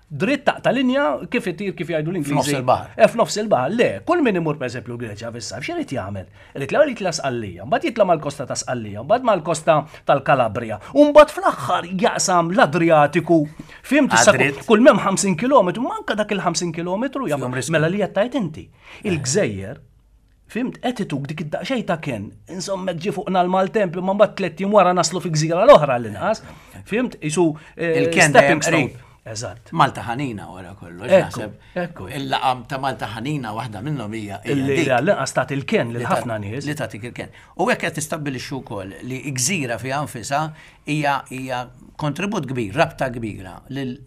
Dritt taqta' linja kif itir kif jgħidu l-Ingliżi. F'nofs il-baħar. Eh, f'nofs il-baħar, le, kull min imur pereżempju l-Greċja fis-sajf, x'irid jagħmel? Irid l-ewwel jitla' Sqallija, mbagħad jitla' mal-kosta ta' Sqallija, mbagħad mal-kosta tal-Kalabria, u mbagħad fl-aħħar jaqsam l-Adriatiku. Fimt issa kull m'hemm ħamsin kilometru, manka dak il-ħamsin kilometru jagħmel. Mela li qed tgħid inti. Il-gżejjer, fimt, qed ituk dik id-daqsxejn ta' kien, insomma ġie fuqna l-maltemp, imma mbagħad tliet jiem wara naslu fi gżira l-oħra l-inqas. Fimt, isu stepping stone. Eżatt. Malta ħanina wara kollox, naħseb. Il-laqam ta' Malta ħanina waħda minnhom hija li l-inqas tagħti il-ken lil ħafna nies. Li tagħtik il-ken. U hekk qed tistabbilixxu wkoll li gżira fiha nfisha hija hija kontribut kbir, rabta kbira lil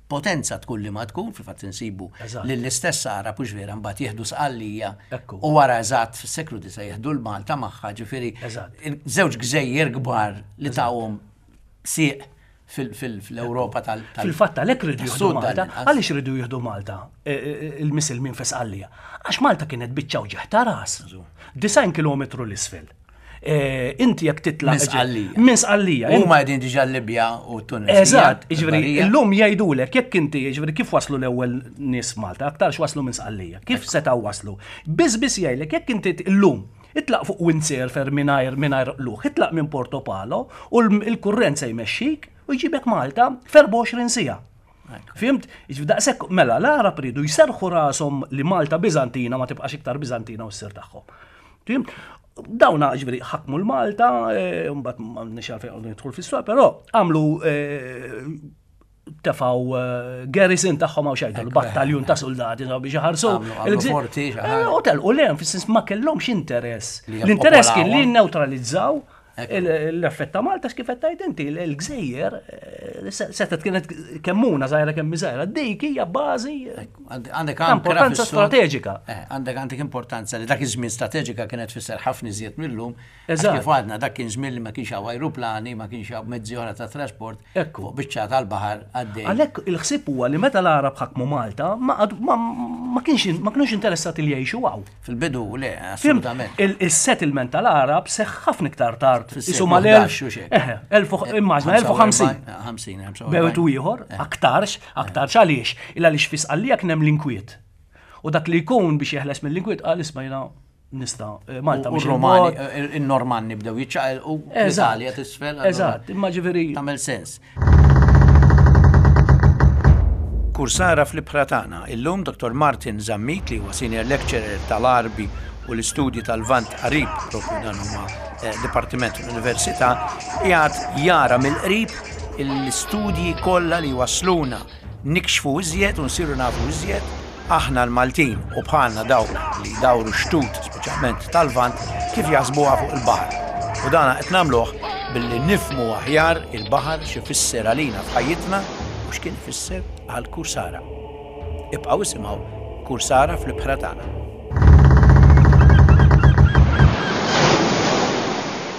potenza tkun li ma tkun, fil-fatt insibu lill-istess Arab hux vera mbagħad jieħdu Sqallija u wara eżatt fis-seklu disa' jieħdu l-Malta magħha, ġifieri żewġ gżejjer kbar li tawhom sieq fil-Ewropa tal. Fil-fatt għalhekk rridu jieħdu Malta. Għaliex rridu jieħdu Malta il-Misilmin fi Sqallija? Għax Malta kienet biċċa wġigħ ta' ras. Disgħin kilometru l-isfel. Inti jekk titla' minn Sqallija. Minn Sqallija. Huma qegħdin diġà Libja u Tunisija. Eżatt, jiġifieri illum jgħidulek jekk inti jiġifieri kif waslu l-ewwel nies Malta, aktarx waslu minn Sqallija. Kif setgħu waslu? Biss biss jgħidlek jekk inti illum itlaq fuq windsurfer mingħajr mingħajr qluħ, itlaq minn Porto Palo u l-kurrent se jmexxik u jġibek Malta f'erbgħa u għoxrin siegħa. Fimt? Daqshekk mela l-Arab ridu jserħu rashom li Malta Biżantina ma tibqax iktar Biżantina u ssir tagħhom. Fimt? Dawna ġifieri ħakmu l-Malta, mbagħad m'għandniex għalfejn nidħol fis-suq, però għamlu tefgħu garrison tagħhom hawn xejn, battaljun ta' soldati biex iħarsu. U telqu lejn fis-sens ma kellhomx interess. L-interess kien li nnewtralizzaw l-effett ta' Malta kif qed tgħid inti, l-gżejjer setgħet kienet kemmuna żgħira kemm żgħira, dik hija bażi għandek importanza strateġika. Għandek għandek importanza li dak iż-żmien strateġika kienet tfisser ħafna iżjed millum. Kif għadna dak kien żmien li ma kienx hawn ajruplani, ma kienx hawn mezzi oħra ta' trasport, fuq biċċa tal-baħar għaddej. Għalhekk il-ħsieb huwa li meta l-Arab ħakmu Malta ma kienx ma kinux interessati li jgħixu hawn. Fil-bidu le, assolutament. Il-settlement tal-Arab seħħ ħafna iktar tard. Isuma l-elf, immaġna, elf u ħamsin. Bewet u ieħor, aktarx, aktarx għaliex, illa għaliex fi Sqallija kien hemm l-inkwiet. U dak li jkun biex jeħles mill-inkwiet qal isma' jiena nista' Malta mhux Romani, in-Normanni bdew jiċċaqilqu l-Italja tisfel. Eżatt, imma ġifieri tagħmel sens. Kursara fl-ibħra tagħna. Illum Dottor Martin Zammit, li huwa senior lecturer tal-Għarbi u l-istudji tal-Lvant Qarib, propju dan huma eh, dipartiment l-Università, qiegħed jara mill-qrib l-istudji kollha li wasluna nikxfu iżjed u nsiru nafu iżjed aħna l-Maltin u bħalna dawk li dawru xtut, speċjalment tal-Lvant, kif jaħsbuha fuq il-baħar. U dana qed nagħmluh billi nifmu aħjar il-baħar x'ifisser għalina f'ħajjitna u x'kien ifisser għal kursara. Ibqgħu isimgħu Kursara fl-ibħra tagħna.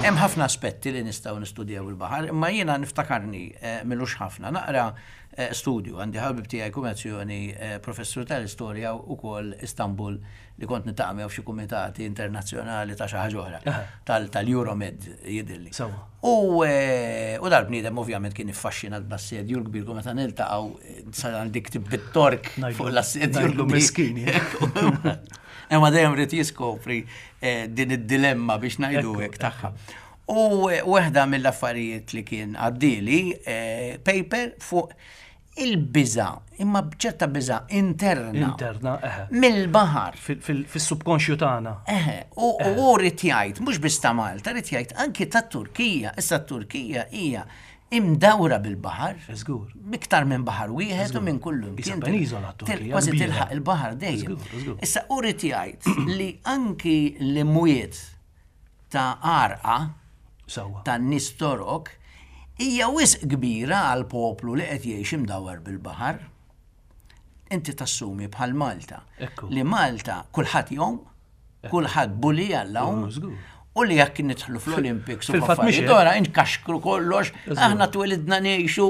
Hemm ħafna aspetti li nistgħu nistudjaw il-baħar, imma jiena niftakarni eh, milux ħafna naqra eh, studju għandi ħabib tiegħi kummissjoni eh, professur tal-istorja ukoll Istanbul li kont niltaqa' miegħu f'xi kumitati internazzjonali ta' xi ħaġa oħra tal-Euromed jidhirli. Sewwa. U eh, u dal-bniedem ovvjament kien iffaxxinat bl-assedju l-kbir kull meta niltaqgħu sa għandi ktib bit-Tork Ngħidlu- fuq l-assedju ngħidlu l-kbir. miskin, Imma dejjem ried jiskopri eh, din id-dilemma biex ngħidu hekk tagħha. U eh, waħda mill-affarijiet li kien għaddili eh, paper fuq il-biża, imma bċerta biża interna. Interna, eħe. Mill-baħar. Fil-subkonxju tagħna. Eħe, u u ried jgħid, mhux biss ta' Malta, ried jgħid anki ta' Turkija. Issa Turkija hija imdawra bil-baħar. Żgur. Iktar minn baħar wieħed u minn kullu. Isa imkien. peniżola t-Turkija, Kważi kbira. tilħaq il-baħar dejjem. Żgur, żgur. Issa u ried jgħid li anki l-imwiet ta' għarqa Sewwa. ta' nies Torok hija wisq kbira għal poplu li qed jgħix imdawwar bil-baħar. Inti tassumi bħal Malta. Ekku. Li Malta kulħadd jgħum, kulħadd bully għall-għawm. Żgur. U li jekk nidħlu fl-Olympics u Fil-fatt mhix f'affarijiet hekk. oħra, inkaxkru kollox, aħna twelidna ngħixu,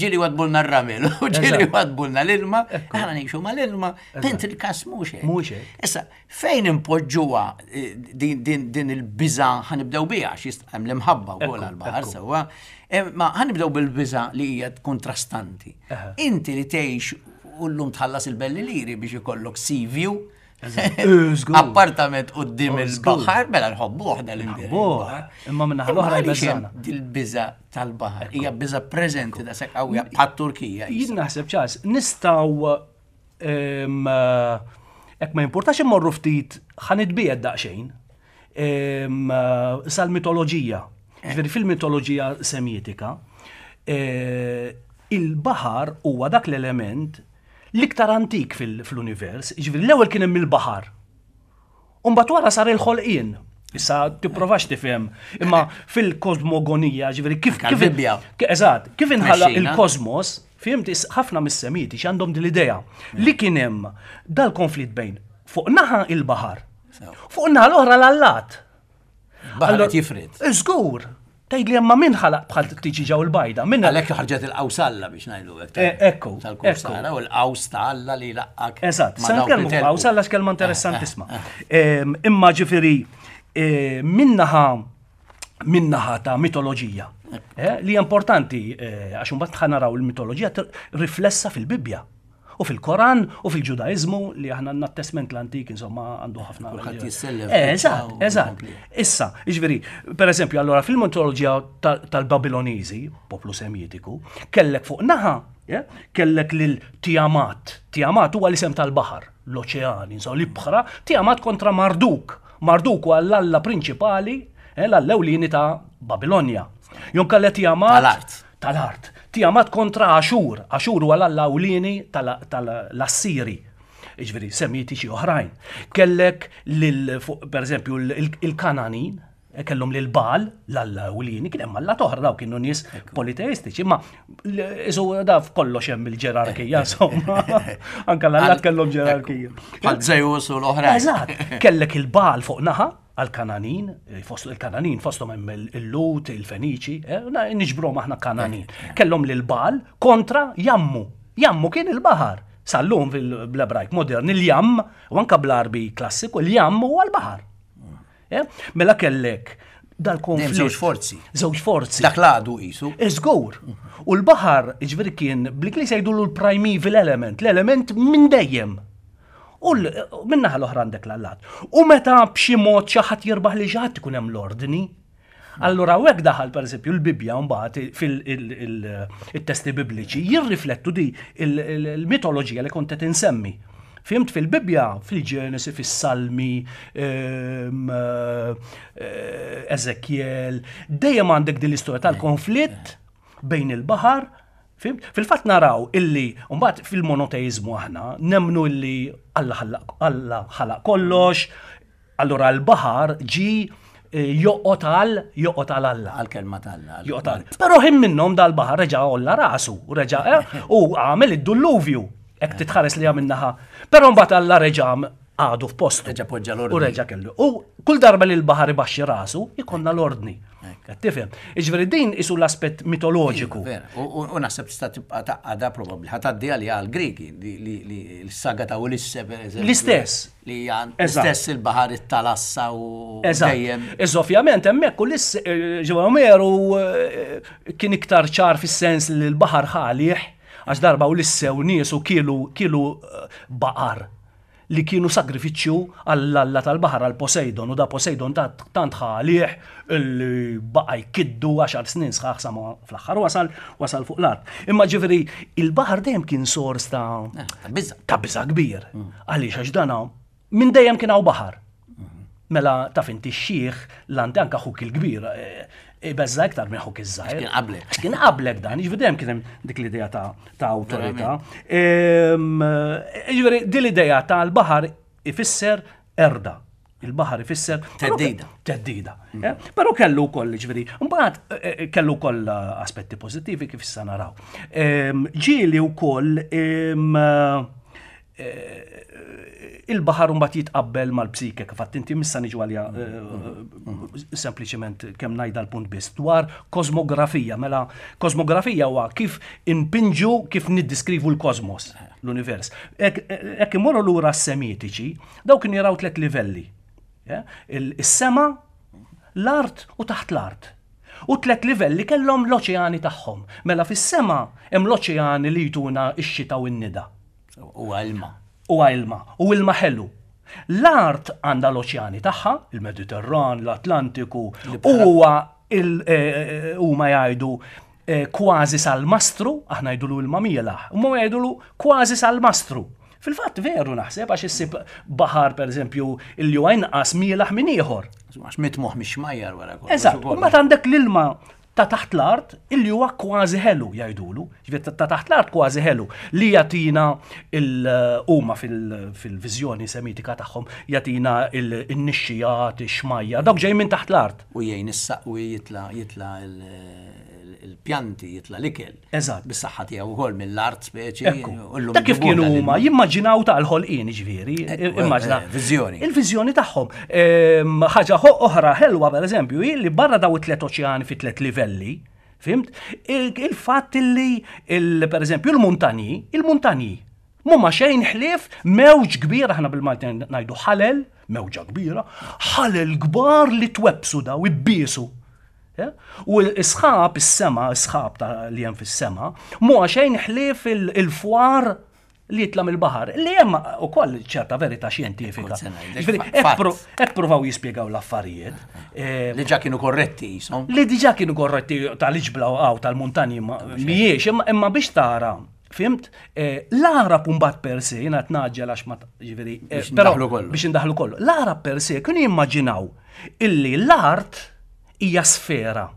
ġieli wadbulna r-ramel, u ġieli Eżatt. wadbulna l-ilma, aħna ngħixu mal-ilma, pent il-kas mhux hekk. Mhux hekk. Issa, fejn impoġġuha eh, din, din, din il-biża ħa nibdew biha, għax jist- hemm l-imħabba wkoll Ekku, għall-baħar ekku. sewwa, eh, ma ħa nibdew bil-biża li hija kontrastanti. Eħe. Inti li tgħix u llum tħallas il-belli liri biex ikollok sea view, Eh, żgur. appartament quddiem Oh, żgur. il-baħar, mela nħobbuh dal Nħobbuh, imma min-naħa l-oħra jbeżżana. Dil-biża tal-baħar hija biża preżenti da sekk qawwija bħat-Turkija. Jien naħseb ċas, nistgħu em, hekk ma jimpurtax immorru ftit ħa nitbiegħed daqsxejn em, sal-mitoloġija. Ġifieri fil-mitoloġija semitika, eh, il-baħar huwa dak l-element l-iktar antik fil- fl-univers, ġifieri l-ewwel kien hemm il-baħar. Umbagħad wara sar il-ħolqien. Issa tipprovax tifhem, imma fil-kosmogonija, ġifieri kif Anka kif l-Bibbja. Ke- Eżatt, kif inħalaq Mexxina. il-kosmos, fimt is- ħafna mis-Semiti x'għandhom din l-idea li kien hemm dal-konflitt bejn fuq naħa il-baħar, Sew. fuq naħa l-oħra l-allat. Baħar Allora- qed jifrid. Żgur, tgħid li hemm min ħalaq bħal tiġi ġew il-bajda, min Għalhekk ħarġet il-qaws Alla biex ngħidu hekk. Eh, ekku, Tal-kursara u l-qaws ta' Alla li laqqak. Eżatt, ma' sa dawk li nitkellmu fuq telqu. qaws Alla x'kelma interessantissima. Em, Imma ġifieri eh, minnaħa minnaħa ta' mitoloġija. eh, Li hija importanti eh, għax imbagħad ħa naraw il-mitoloġija tir- riflessa fil-Bibbja u fil-Koran u fil-Ġudaiżmu li aħna għandna t-Testament l-Antik insomma għandu ħafna. Kulħadd jissellef Eh, Eżatt, u eżatt. jkompli. Issa, jiġifieri, per eżempju, allora fil-mitoloġija tal- tal-Babiloniżi, poplu semitiku, kellek fuq naħa, yeah, kellek lil Tiamat. Tiamat huwa l-isem tal-baħar, l-oċean, insomma, l-ibħra, Tiamat kontra Marduk. Marduk huwa l-alla prinċipali, eh, l-alla ewlieni ta' Babilonja. Jon kellek Tiamat Tal-art. Tal-art. Tiamat kontra Ashur. Ashur huwa l-alla ewlieni tal- tal-Assiri. Jiġifieri, semitiċi oħrajn. Kellek lil, fuq, per eżempju, il- il-Kananin, eh, kellhom lil Baal, l-alla ewlieni, kien hemm alla oħra daw kienu nies politeistiċi, imma l- isu da f'kollox hemm il-ġerarkija, insomma. Anka l-allat kellhom ġerarkija. Bħal Zeus u l-oħrajn. Eżatt, kellek il-Baal fuq naħa għal-Kananin, eh, fost il-Kananin fosthom hemm il- il-Lut, il-Feniċi, eh, na- niġbruhom aħna Kananin. Kellhom lil Baal kontra Jammu. Jammu kien il-baħar. Sal-lum fil-Ebrajk modern il-jam, u anka bl-Arbi klassiku, il-jam huwa l-baħar. Eh, Mela kellek dal-konflitt. Dejjem żewġ forzi. Żewġ forzi. Dak l-għadu qisu. Iżgur. U l-baħar, ġifieri kien, bl-Ingliż jgħidulu l-primeval element, l-element minn dejjem. U l- minnaħa l-oħra għandek l-allat. U meta b'xi mod xi ħadd jirbaħ li xi ħadd ikun hemm l-ordni. Allura hekk daħal pereżempju l-Bibbja mbagħad fil-testi bibliċi jirriflettu di il-mitoloġija li kont qed insemmi. Fhimt, fil-Bibbja, fil-Ġenesi, fis-Salmi, ehm, eh, Ezekiel, dejjem għandek din l-istorja tal-konflitt bejn il-baħar. Fhimt? Fil-fatt naraw illi, mbagħad fil-monoteizmu aħna, nemnu illi Alla ħalaq Alla ħalaq kollox, allura l-baħar ġi eh, joqgħod għal joqgħod għal Alla. Għal-kelma t'Alla. Joqgħod għal. Però ħin minnhom dal-baħar reġa' għolla rasu, reġa' eh, u għamel id-dulluvju, hekk titħares li għamilnaħa. Però mbagħad Alla reġa' għadu f'postu. Reġa' poġġa l-ordni. U reġa' kellu. U kull darba li l-baħar ibaxxi rasu, ikollna l-ordni. Qed tifhem? Jiġifieri din isu l-aspett mitoloġiku. Vera, U u- u naħseb tista' tibqa' taqgħada probabbli ħa tgħaddi għalija għall-Griki li li li l-saga ta' Ulisse per eżempju. L-istess. Li hija Eżatt. l-istess il-baħar it-talassa u Eżatt. dejjem. Iżda ovvjament hemmhekk Ulisse ġewwa Omeru eh, kien iktar ċar fis-sens li l-baħar ħalih, għax darba Ulisse u niesu kielu kielu eh, baqar li kienu sagrifiċċju għall-alla tal-baħar, għal Poseidon, u da Poseidon tant tant ħalih illi baqa' jkiddu għaxar snin sħaħ sa ma fl-aħħar wasal wasal fuq l-art. Imma ġifieri il-baħar dejjem kien sors ta' Eh, ta' biża'. ta' biża' kbir. Għaliex? Għax dana minn dejjem kien hawn baħar. Mela taf inti x-xiħ l-anti anka ħuk il-kbir eh, ibeżza iktar minn ħuk iż-żgħir. Kien qablek. Għax kien qablek dan, jiġifieri dejjem kien hemm dik l-idea ta' ta' awtorità. Ehm, Jiġifieri din l-idea tal-baħar ifisser erda. Il-baħar ifisser Teddida. Teddida. eh? Però kellu wkoll, ġifieri, mbagħad eh, eh, kellu wkoll aspetti pożittivi kif issa naraw. Ehm, Ġieli wkoll ehm, eh, il-baħar mbagħad jitqabbel mal-psike, kif għedt inti, missa niġu għalija eh, sempliċement kemm ngħidha l-punt biss dwar kosmografija. Mela kosmografija huwa kif inpinġu, kif niddiskrivu l-kosmos, l-univers. Hekk imorru lura s-Semitiċi, daw kienu jaraw tliet livelli. Ja? Il- Is-sema, l-art u taħt l-art. U tlet livelli kellhom l-oċeani tagħhom. Mela fis-sema hemm l-oċeani li jtuna x-xita u n-nida. Huwa ilma. U ilma, u ilma ħelu. L-art għandha l-oċeani tagħha, il-Mediterran, l-Atlantiku, u huwa il- eh, huma jgħidu eh, kważi sal-mastru, aħna jgħidulu ilma mielaħ, huma jgħidulu kważi sal-mastru. Fil-fatt veru naħseb, għax issib baħar, per eżempju, illi huwa inqas mielaħ minn ieħor. Għax mitmuħ mix-xmajjar wara kollox. Eżatt, ukoll. u mbagħad għandek l-ilma ta' taħt l-art illi huwa kważi ħelu jgħidulu, ġifieri ta' taħt l-art kważi ħelu li jagħtina il huma fil-viżjoni semitika tagħhom jagħtina il-nixxijat, ix-xmajjar, dawk ġej minn taħt l-art. U jgħin is-saqwi jitla jitla il- il-pjanti, jitla l-ikel. Eżatt. Bis-saħħa tiegħu wkoll mill-art speċi. Ekku. u llum Ta' kif ġibuna kienu lil- huma jimmaġinaw tal-ħolqien, ġifieri, Ekku, immaġina. eh, viżjoni. Il-viżjoni tagħhom. Ehm, Ħaġa ħo- oħra ħelwa, pereżempju, hi li barra daw it-tliet oċeani fi tliet livelli, fhimt? Il- Il-fatt li il- pereżempju il-muntanji, il-muntanji mhuma xejn ħlief mewġ kbir, aħna bil-Malti ngħidu ħalel, mewġa kbira, ħalel kbar li twebsu daw ibbiesu. Ja? U l-isħab, is-sema, is-sħab ta' li hemm fis-sema, mhu xejn ħlief il- il-fwar li jitla mill-baħar, li hemm ukoll ċerta verità xjentifika. Kont se ngħidlek, Ġifieri, fa- hekk fatt. pro- hekk provaw jispjegaw l-affarijiet. Eh, Li ġa kienu korretti jisom. Li diġà kienu korretti tal-iġbla għaw tal-muntanji ma- mhijiex, imma imma biex tara, fhimt, eh, l-Arab mbagħad per se, jiena qed naġġel għax ma ġifieri, eh, Biex però ndaħlu kollu. biex indaħlu kollu. L-Arab per se kienu jimmaġinaw illi l-art hija sfera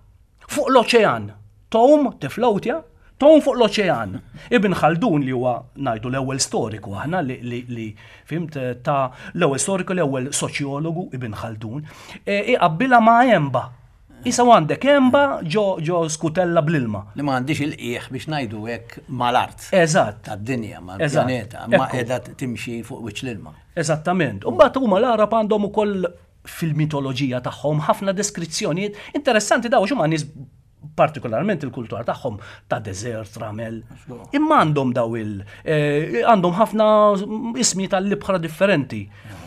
fuq l-oċean. Tom tiflowtja, tom fuq l-oċean. Ibn Khaldun, li huwa ngħidu l-ewwel storiku aħna li, li, li fhimt, eh, ta' l-ewwel storiku, l-ewwel soċjologu, Ibn Khaldun, eh, iqabbilha ma' emba. Isa għandek emba ġo, ġo skutella bl-ilma. Li ma għandix il-qiegħ, biex ngħidu hekk, mal-art. Eżatt. Tad-dinja, Eżatt. mal-pjaneta, ma Ekku. qiegħda timxi fuq wiċċ l-ilma. Eżattament. U mbagħad huma l-Arab għandhom ukoll fil-mitoloġija tagħhom ħafna deskrizzjonijiet interessanti. Daw x'huma nies, partikolarment il-kultura tagħhom ta' deżert, ramel. Imma għandhom daw il eh, għandhom ħafna ismi tal-libħra differenti.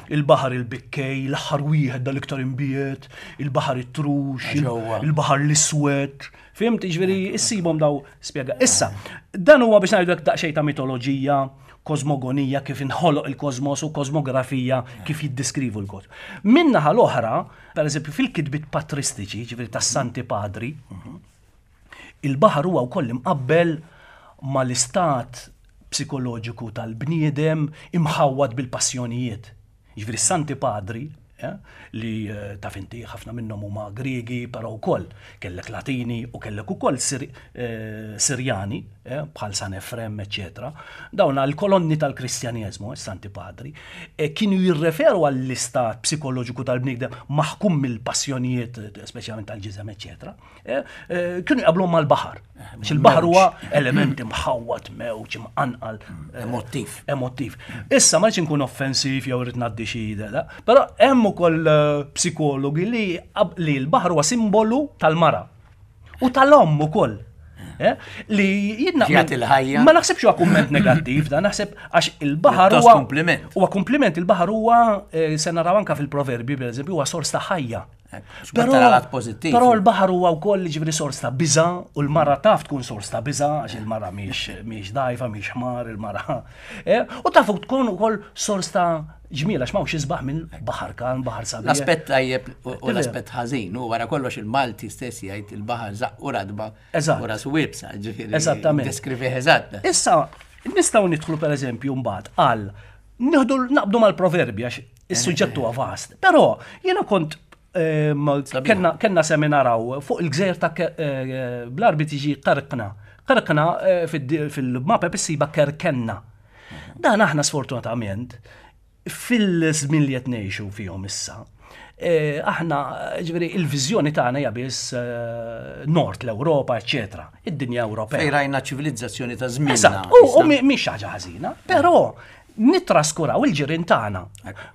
Il-baħar il-bikkej, l-aħħar wieħed dal-iktar imbiet, il-baħar it-trux, il- Ġewwa. il-baħar l-iswed. Fhimt, ġifieri, issibhom daw spjega. Issa, dan huwa biex ngħidu daqsxejn ta' mitoloġija, Kosmogonija kif inħoloq il-kosmos u kosmografija kif jiddiskrivu l-kosmos. Min-naħa l-oħra, per eżempju, fil-kitbiet patristiċi, ġifieri tas-Santi Padri, il-baħar huwa wkoll imqabbel mal-istat psikoloġiku tal-bniedem imħawwad bil-passjonijiet. Ġifieri Santi Padri, eh, li eh, taf inti ħafna minnhom huma Griegi, però wkoll kellek Latini u kellek ukoll Sir, eh, Sirjani, eh, bħal San Efrem, eċetera. Dawn l-kolonni tal-Kristjaneżmu, eh, Santi Padri, eh, kienu jirreferu għall-istat psikoloġiku tal-bniedem maħkum mill-passjonijiet, eh, speċjalment tal-ġisem, eċetera. Eh, eh, kienu jqablhom mal-baħar. Għax il-baħar huwa element imħawwad, mewġ, imqanqal. eh, Emotiv. Emotiv. Issa ma rridx inkun offensiv jew rrid ngħaddi xi idea, però hemm ukoll eh, psikologi li qab- li l-baħar huwa simbolu tal-mara u tal-omm ukoll. Eh, Li jiena Jagħti l-ħajja. Ma naħsibx huwa kumment negattiv, da naħseb għax il-baħar Pjuttost huwa kompliment. Huwa kompliment, il-baħar huwa eh, se naraw anka fil-proverbi pereżempju huwa sors ta' ħajja. Però lat pożittiv. Però l-baħar huwa wkoll ġifieri sors ta' biża u l-mara taf tkun sors ta' biża għax il-mara mhix mhix dajfa, mhix ħmar, il-mara. Eh, U taf tkun ukoll sors ta' ġmiel għax m'hawnx isbaħ minn baħar kalm, baħar sabiħ. L-aspett tajjeb u u l-aspett ħażin, u wara kollox il-Malti stess jgħid il-baħar żaqqu ratba Eżatt. u rasu iebsa, ġifieri. Eżattament. Deskrivih eżatt. Issa, nistgħu nidħlu per eżempju mbagħad għal nieħdu naqbdu mal-proverbi għax is-suġġett huwa vast. Però jiena kont ehm, kellna kellna seminar hawn fuq il-gżejjer ta' Ke- eh, bl-Arbi tiġi Qarqna. Qarqna eh, fid- fil-mappa issiba Kerkenna. Dan aħna sfortunatament fil-żmien li qed ngħixu fihom issa, eh, aħna ġifieri il-viżjoni tagħna hija biss eh, nord l-Ewropa, eċetera, id-dinja Ewropea. Fejn rajna ċivilizzazzjoni ta' żmienna. Eżatt, u u mi- mhix ħaġa ħażina, però nitraskuraw il-ġirien tagħna.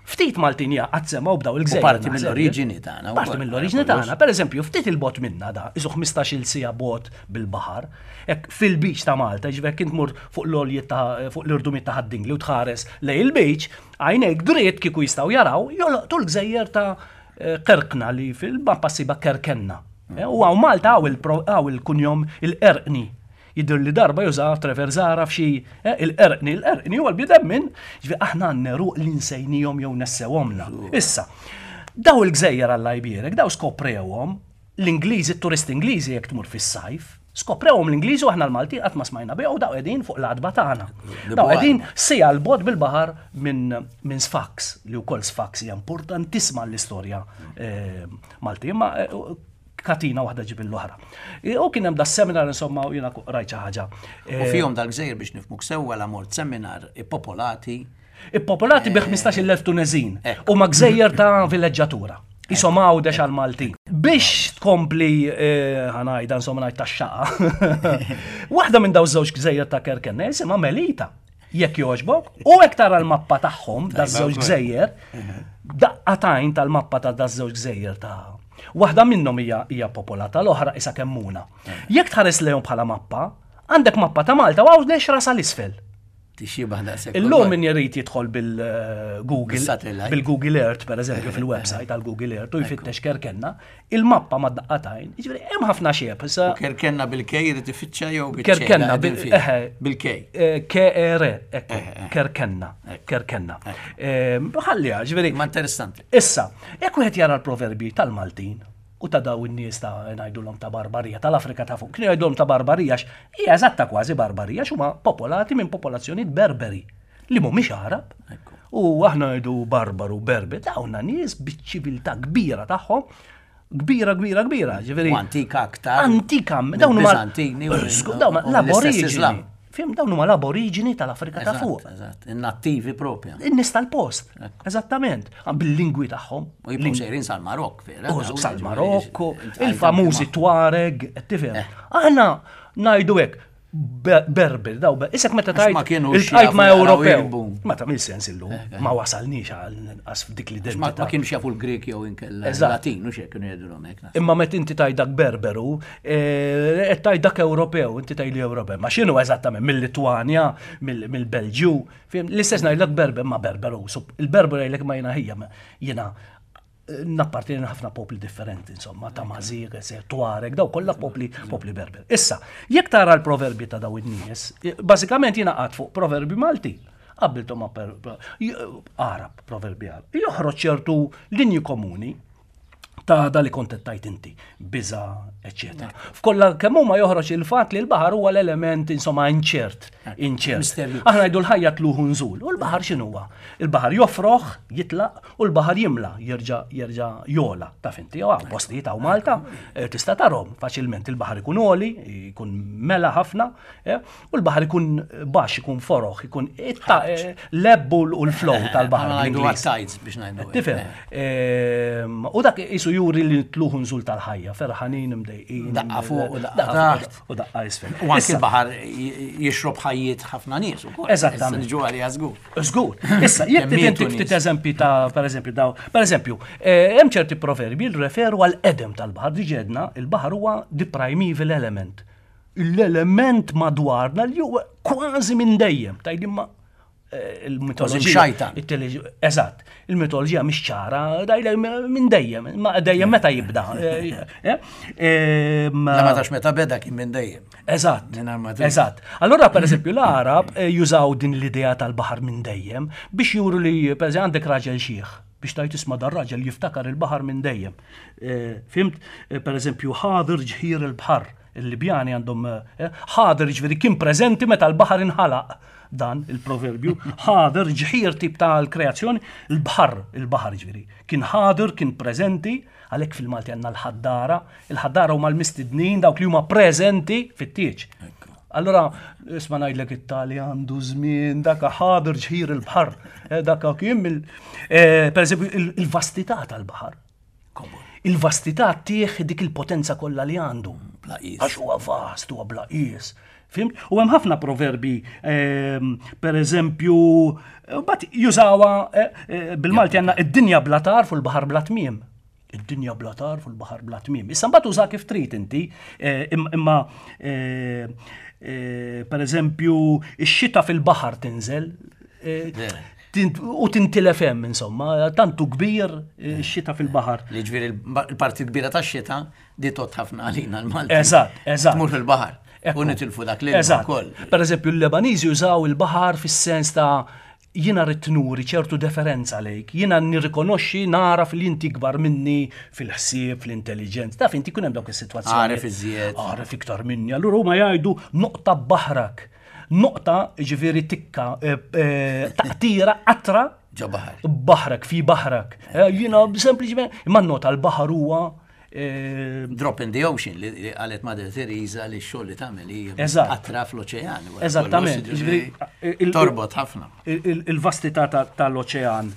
Ftit Maltin qatt semgħu b'daw il-gżejjer. U parti naħseb. mill-oriġini tagħna Parti wkoll, mill-oriġini kollox. tagħna. Per eżempju, ftit il-bogħod minna da, isu ħmistax-il siegħa bot bil-baħar, hekk fil-beach ta' Malta, ġifieri kint mur fuq l-għoljiet ta' fuq l-irdumiet ta' Ħad-Dingli u tħares lejn il-beach, għajnejk dritt kieku jistgħu jaraw, jolqtu l-gżejjer ta' eh, Kerkna li fil-mappa ssiba Kerkenna. Eh, U hawn Malta hawn il-pro- hawn il-kunjom il-Erqni. Jidher li darba juża Trevor Zara f'xi eh, il-Erqni, il-Erqni huwa l-bidem minn, ġifieri aħna għandna ruq li nsejnihom jew nessewhomna. Issa, daw il-gżejjer Alla jbierek, daw skoprewhom l-Ingliżi, t-turisti Ingliżi jekk tmur fis-sajf, skoprewhom l-Ingliżi u aħna l-Malti qatt ma smajna bihom u daw qegħdin fuq l-għatba tagħna. Daw qegħdin siegħa 'l bogħod bil-baħar minn minn Sfax, li wkoll Sfax hija importantissima l-istorja eh, Malti, imma eh, katina waħda ġib l-oħra. U kien hemm da seminar insomma u jiena rajt xi ħaġa. U fihom dal-gżejjer biex nifhmuk sewwa la mort seminar ippopolati. Ippopolati bi ħmistax-il elf Tunezin Ekku. u ma gżejjer ta' villeġġatura. Isom Għawdex għal-Maltin. Biex tkompli eh, ħa ngħidha insomma ngħid tax-xaqa. Waħda minn daw żewġ gżejjer ta' Kerkenna jisimha Melita. Jekk jogħġbok, u hekk tara l-mappa tagħhom da żewġ gżejjer, daqqatajn tal-mappa ta' da żewġ gżejjer ta' Waħda minnhom hija hija popolata, l-oħra isa kemmuna. Jekk tħares lejhom bħala mappa, għandek mappa ta' Malta u Għawdex rasa l-isfel. Tixxiebah daqshekk. Illum min jrid jidħol bil-Google, Bil-satellite. bil-Google Earth, per eżempju, fil-website tal-Google Earth, u jfittex Kerkenna, il-mappa ma daqqatajn, jiġifieri hemm ħafna xieb, issa Kerkenna bil-K jrid ifittxa jew bil Kerkenna bil eħe, bil-K. eh, K-R, ekku, Kerkenna, Kerkenna. Eh, Ħalliha, ġifieri. Ma interessanti. Issa, jekk wieħed jara l-proverbi tal-Maltin u ta' daw in-nies ta' ngħidulhom ta' Barbarija, tal-Afrika ta' fuq, kienu jgħidulhom ta' Barbarija għax hija eżatta kważi Barbarija x'huma popolati minn popolazzjonijiet Berberi li mhumiex Arab. U aħna ngħidu Barbaru, Berber, dawna nies biċ-ċiviltà kbira tagħhom, kbira, kbira, kbira, ġifieri. U antika aktar. Antika, dawn huma Mill-Biżantini u Żgur, dawn huma u mill-istess l-aboriġini. Islam. Fim, dawn huma l-aboriġini tal-Afrika ta' fuq. Eżatt, eżatt. In-nattivi propja. In-nies tal-post. Eżattament. Bil-lingwi tagħhom. U jibqgħu sejrin sal-Marokk, vera. U dawn, sal-Marokku, ġifieri, il-famużi Tuareg, tifhem. Aħna ngħidu hekk, be- Berber, daw, be- isek meta Għax ma tajt kienux iltqajt ma' jafu jaqraw Ewropew. jirbu. Ma ta' sens illum, ma wasalniex għal inqas f'dik Ma l-identità. ma kienux jafu l-Grek jew inkella Eżatt. Latin, u xek kienu jgħidulhom hekk. naħseb. Imma meta inti tgħid dak Berberu, eh, qed tgħid dak Ewropew, inti tgħid li Ewropew. Ma x'inhu eżattament mill-Litwanja, mill- mill-Belġju, fim, l-istess ngħidlek Berber ma Berberu. So, il-Berberu jgħidlek ma jiena ħija, ma jiena eh, nappartieni ħafna popli differenti, insomma, ta' Mażir, Tuareg, daw kollha popli popli Berber. Issa, jekk tara l-proverbi ta' daw in-nies, eh, bażikament jiena qatt fuq proverbi Malti. Qabbiltu ma' Arab, proverbi Arab. Joħroġ ċertu linji komuni ta' da li kont tajt inti, biża, eccetera. F'kollha kemm huma joħroġ il-fatt li l-baħar huwa l-element insomma inċert, inċert. Aħna ngħidu l-ħajja tluħu nżul, u l-baħar x'inhuwa? Il-baħar jofroħ, jitlaq, u l-baħar jimla, jerġa' jerġa' jola. Taf inti, hawn postijiet hawn Malta, eh, tista' tarhom faċilment il-baħar ikun għoli, ikun mela ħafna, eh, u l-baħar ikun baxx, ikun foroħ, ikun eh, l-ebb u l-flow tal-baħar. Biex ngħidu. Tifhem. Ehm, u dak isu juri li tluħu nżul tal-ħajja, ferħanin, imdejqin. Daqqa fuq u daqqa taħt. U daqqa isfel. U anki l-baħar jixrob ħajjiet ħafna nies ukoll. Eżattament. Ġu għalija żgur. Żgur. Issa, jekk inti ftit eżempji ta' per eżempju daw, per eżempju, eh, hemm ċerti proverbi li referu għal edem tal-baħar, diġà għedna, il-baħar huwa the primeval element. L-element madwarna li huwa kważi minn dejjem. Tgħid imma eh, il-mitoloġija. Eżatt, il-mitoloġija mhix ċara, dajle minn dejjem, ma dejjem meta jibda. Eh, eh, La ma tax meta beda kien minn dejjem. Eżatt. Eżatt. Allora per eżempju l-Arab jużaw din l-idea tal-baħar minn dejjem biex juru li per eżempju għandek raġel xiħ biex tajt isma dar raġel jiftakar il-baħar minn dejjem. Fhimt, per eżempju, ħadir ġħir il-baħar, il-Libjani għandhom ħadir ġifieri kien preżenti meta l-baħar inħalaq dan il-proverbju, ħadir ġħir tip tal-kreazzjoni, il-baħar, il-baħar ġifieri. Kien ħadir, kien preżenti, għalhekk fil-Malti għandna l-ħaddara, il-ħaddara huma l-mistednin dawk li huma preżenti fit-tieġ. Allora, isma ngħidlek it-tali għandu żmien, daka ħadir ġħir il-baħar, daka kien per eżempju il-vastità tal-baħar. Il-vastità tieħ dik il-potenza kollha li għandu. Għax huwa vast, huwa bla qies. Fhimt? U hemm ħafna proverbi, per eżempju, bat jużawa bil-Malti għandna id-dinja bla tarf u l-baħar bla tmiem. Id-dinja bla tarf u l-baħar bla tmiem. Issa mbagħad uża kif trid inti, imma per eżempju, ix-xita fil-baħar tinżel u tintilef hemm insomma, tantu kbir ix-xita fil-baħar. Li ġifieri il-parti kbira tax-xita di tot ħafna għalina l-Malti. Eżatt, eżatt. Tmur fil-baħar. U nitilfu dak li ukoll. Per eżempju, l-Lebaniżi jużaw il-baħar fis-sens ta' jiena rrid nuri ċertu deferenza lejk, jiena nirrikonoxxi naraf li inti kbar minni fil-ħsieb, fl-intelligenza. Taf inti kun hemm dawk is-sitwazzjoni. Għaref iżjed. Għaref iktar minni. Allura huma jgħidu noqta baħrak. Noqta ġifieri tikka, taqtira, qatra. Ġo baħar. Baħrak, fi baħrak. Jiena sempliċement, imma nota l-baħar huwa Drop in the ocean li qalet Mother Teresa li x-xogħol li tagħmel hija qatra fl-oċean. Eżattament. Torbot ħafna. Il-vastità tal-oċean.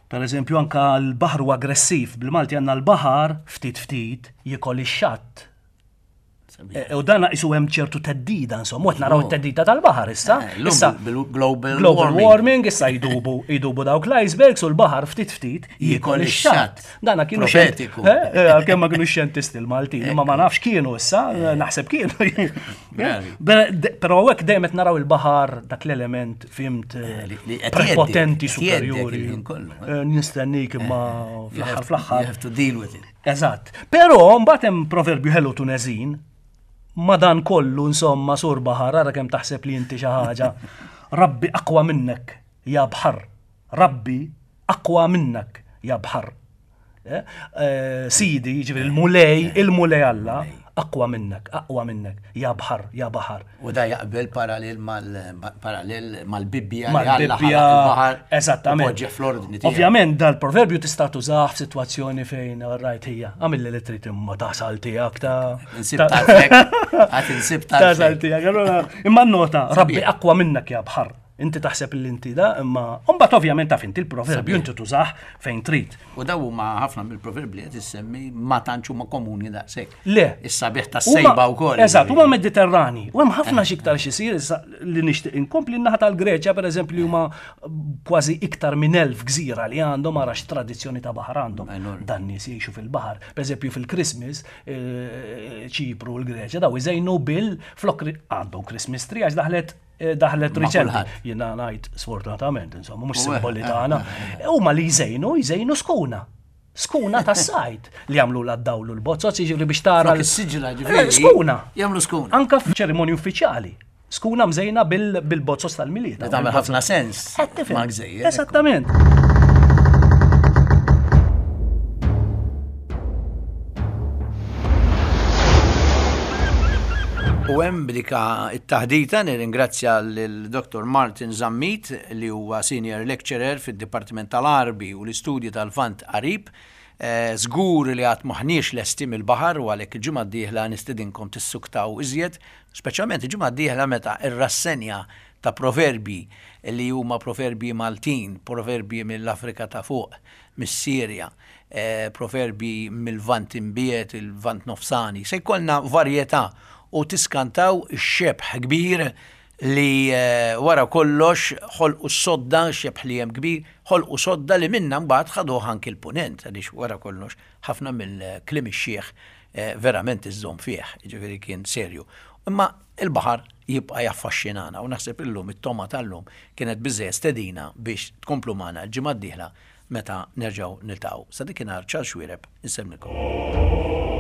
Per eżempju anka l-baħar huwa aggressiv. Bil-Malti għandna l-baħar ftit ftit jikol ix-xatt. U dan isu hemm ċertu teddida, insomma, qed naraw it-teddida tal-baħar issa. Issa global global warming issa jdubu jdubu dawk l-icebergs u l-baħar ftit ftit jiekol ix-xatt. Dana kienu profetiku. Għalkemm ma kienu xjentisti l-Maltin, imma ma nafx kienu issa, naħseb kienu. Però hekk dejjem qed naraw il-baħar dak l-element fhimt prepotenti superjuri. Nistennik imma fl-aħħar fl-aħħar. You have to deal with it. Eżatt. Però mbagħad hemm proverbju ħelu Tuneżin. Ma dan kollu insomma sur baħar, ara kemm taħseb li inti xi ħaġa. Rabbi aqwa minnek ja baħar. Rabbi aqwa minnek ja baħar. Sidi, ġifieri il-Mulej, il-Mulej Alla, aqwa minnek, aqwa minnek, ja baħar, ja baħar. U da jaqbel parallel mal-parallel mal-Bibbja, mal-Bibbja, eżattament. Poġġi fl-ordni tiegħu. Ovvjament dal-proverbju tista' tużah f'sitwazzjoni fejn rajt hija, għamilli li trid imma tasal tiegħek ta' Insib tarfek, għad insib tarfek. Tasal tiegħek. Imma nota, Rabbi aqwa minnek ja baħar. Inti taħseb li inti da, imma mbagħad ovvjament taf inti l-proverbju inti tużah fejn trid. U daw huma ħafna mill-proverbji qed issemmi ma tantx huma komuni daqshekk. Le. Is-sabiħ tas-sejba wkoll. Eżatt, huma Mediterrani. U hemm ħafna x'iktar x'isir issa li nixtieq inkompli n-naħa tal-Greċja pereżempju li huma kważi iktar minn elf gżira li għandhom ara x'tradizzjoni ta' baħar għandhom. Dan nies jgħixu fil-baħar. Pereżempju fil-Christmas, Ċipru u l-Greċja daw iżejnu bil flok għandhom Christmas tree għax daħlet daħlet riċenti. Jiena ngħid sfortunatament, insomma, mhux simboli tagħna. Huma li jżejnu, jżejnu skuna. Skuna tas-sajt li jagħmlu la dawlu l-bozzozz, jiġifieri biex tara l-siġra ġifieri. Skuna. Jagħmlu skuna. Anka f'ċerimonji uffiċjali. Skuna mżejna bil-bozzos tal-Milied. Li tagħmel ħafna sens. Ma' gżejjer. Esattament. U hemm b'dika it-taħdita nirringrazzja lil Dottor Martin Zammit li huwa senior lecturer fid-Dipartiment tal-Għarbi u l-Istudji tal-Lvant Qarib. Żgur li għad m'aħniex lesti mill-baħar u għalhekk il-ġimgħa d-dieħla nistedinkom tissuktaw iżjed, speċjalment il-ġimgħa d-dieħla meta r-rassenja ta' proverbji li huma proverbji Maltin, proverbji mill-Afrika ta' fuq, mis-Sirja, proverbji mill-Lvant Imbiegħed, il-Lvant Nofsani. Se jkollna varjetà u tiskantaw ix-xebh kbir li wara kollox ħolqu s-sodda, xebh li hemm kbir, ħolqu sodda li minna mbagħad ħaduh anki l-punent, għaliex wara kollox ħafna mill-kliem ix-xiħ verament iżżomm fih, jiġifieri kien serju. Imma il-baħar jibqa' jaffaxxinana u naħseb illum it-toma tal-lum kienet biżżejjed stedina biex tkomplu magħna l-ġimgħa d-dieħla meta nerġgħu niltaqgħu. Sa dakinhar Charles Xuereb insellmilkom.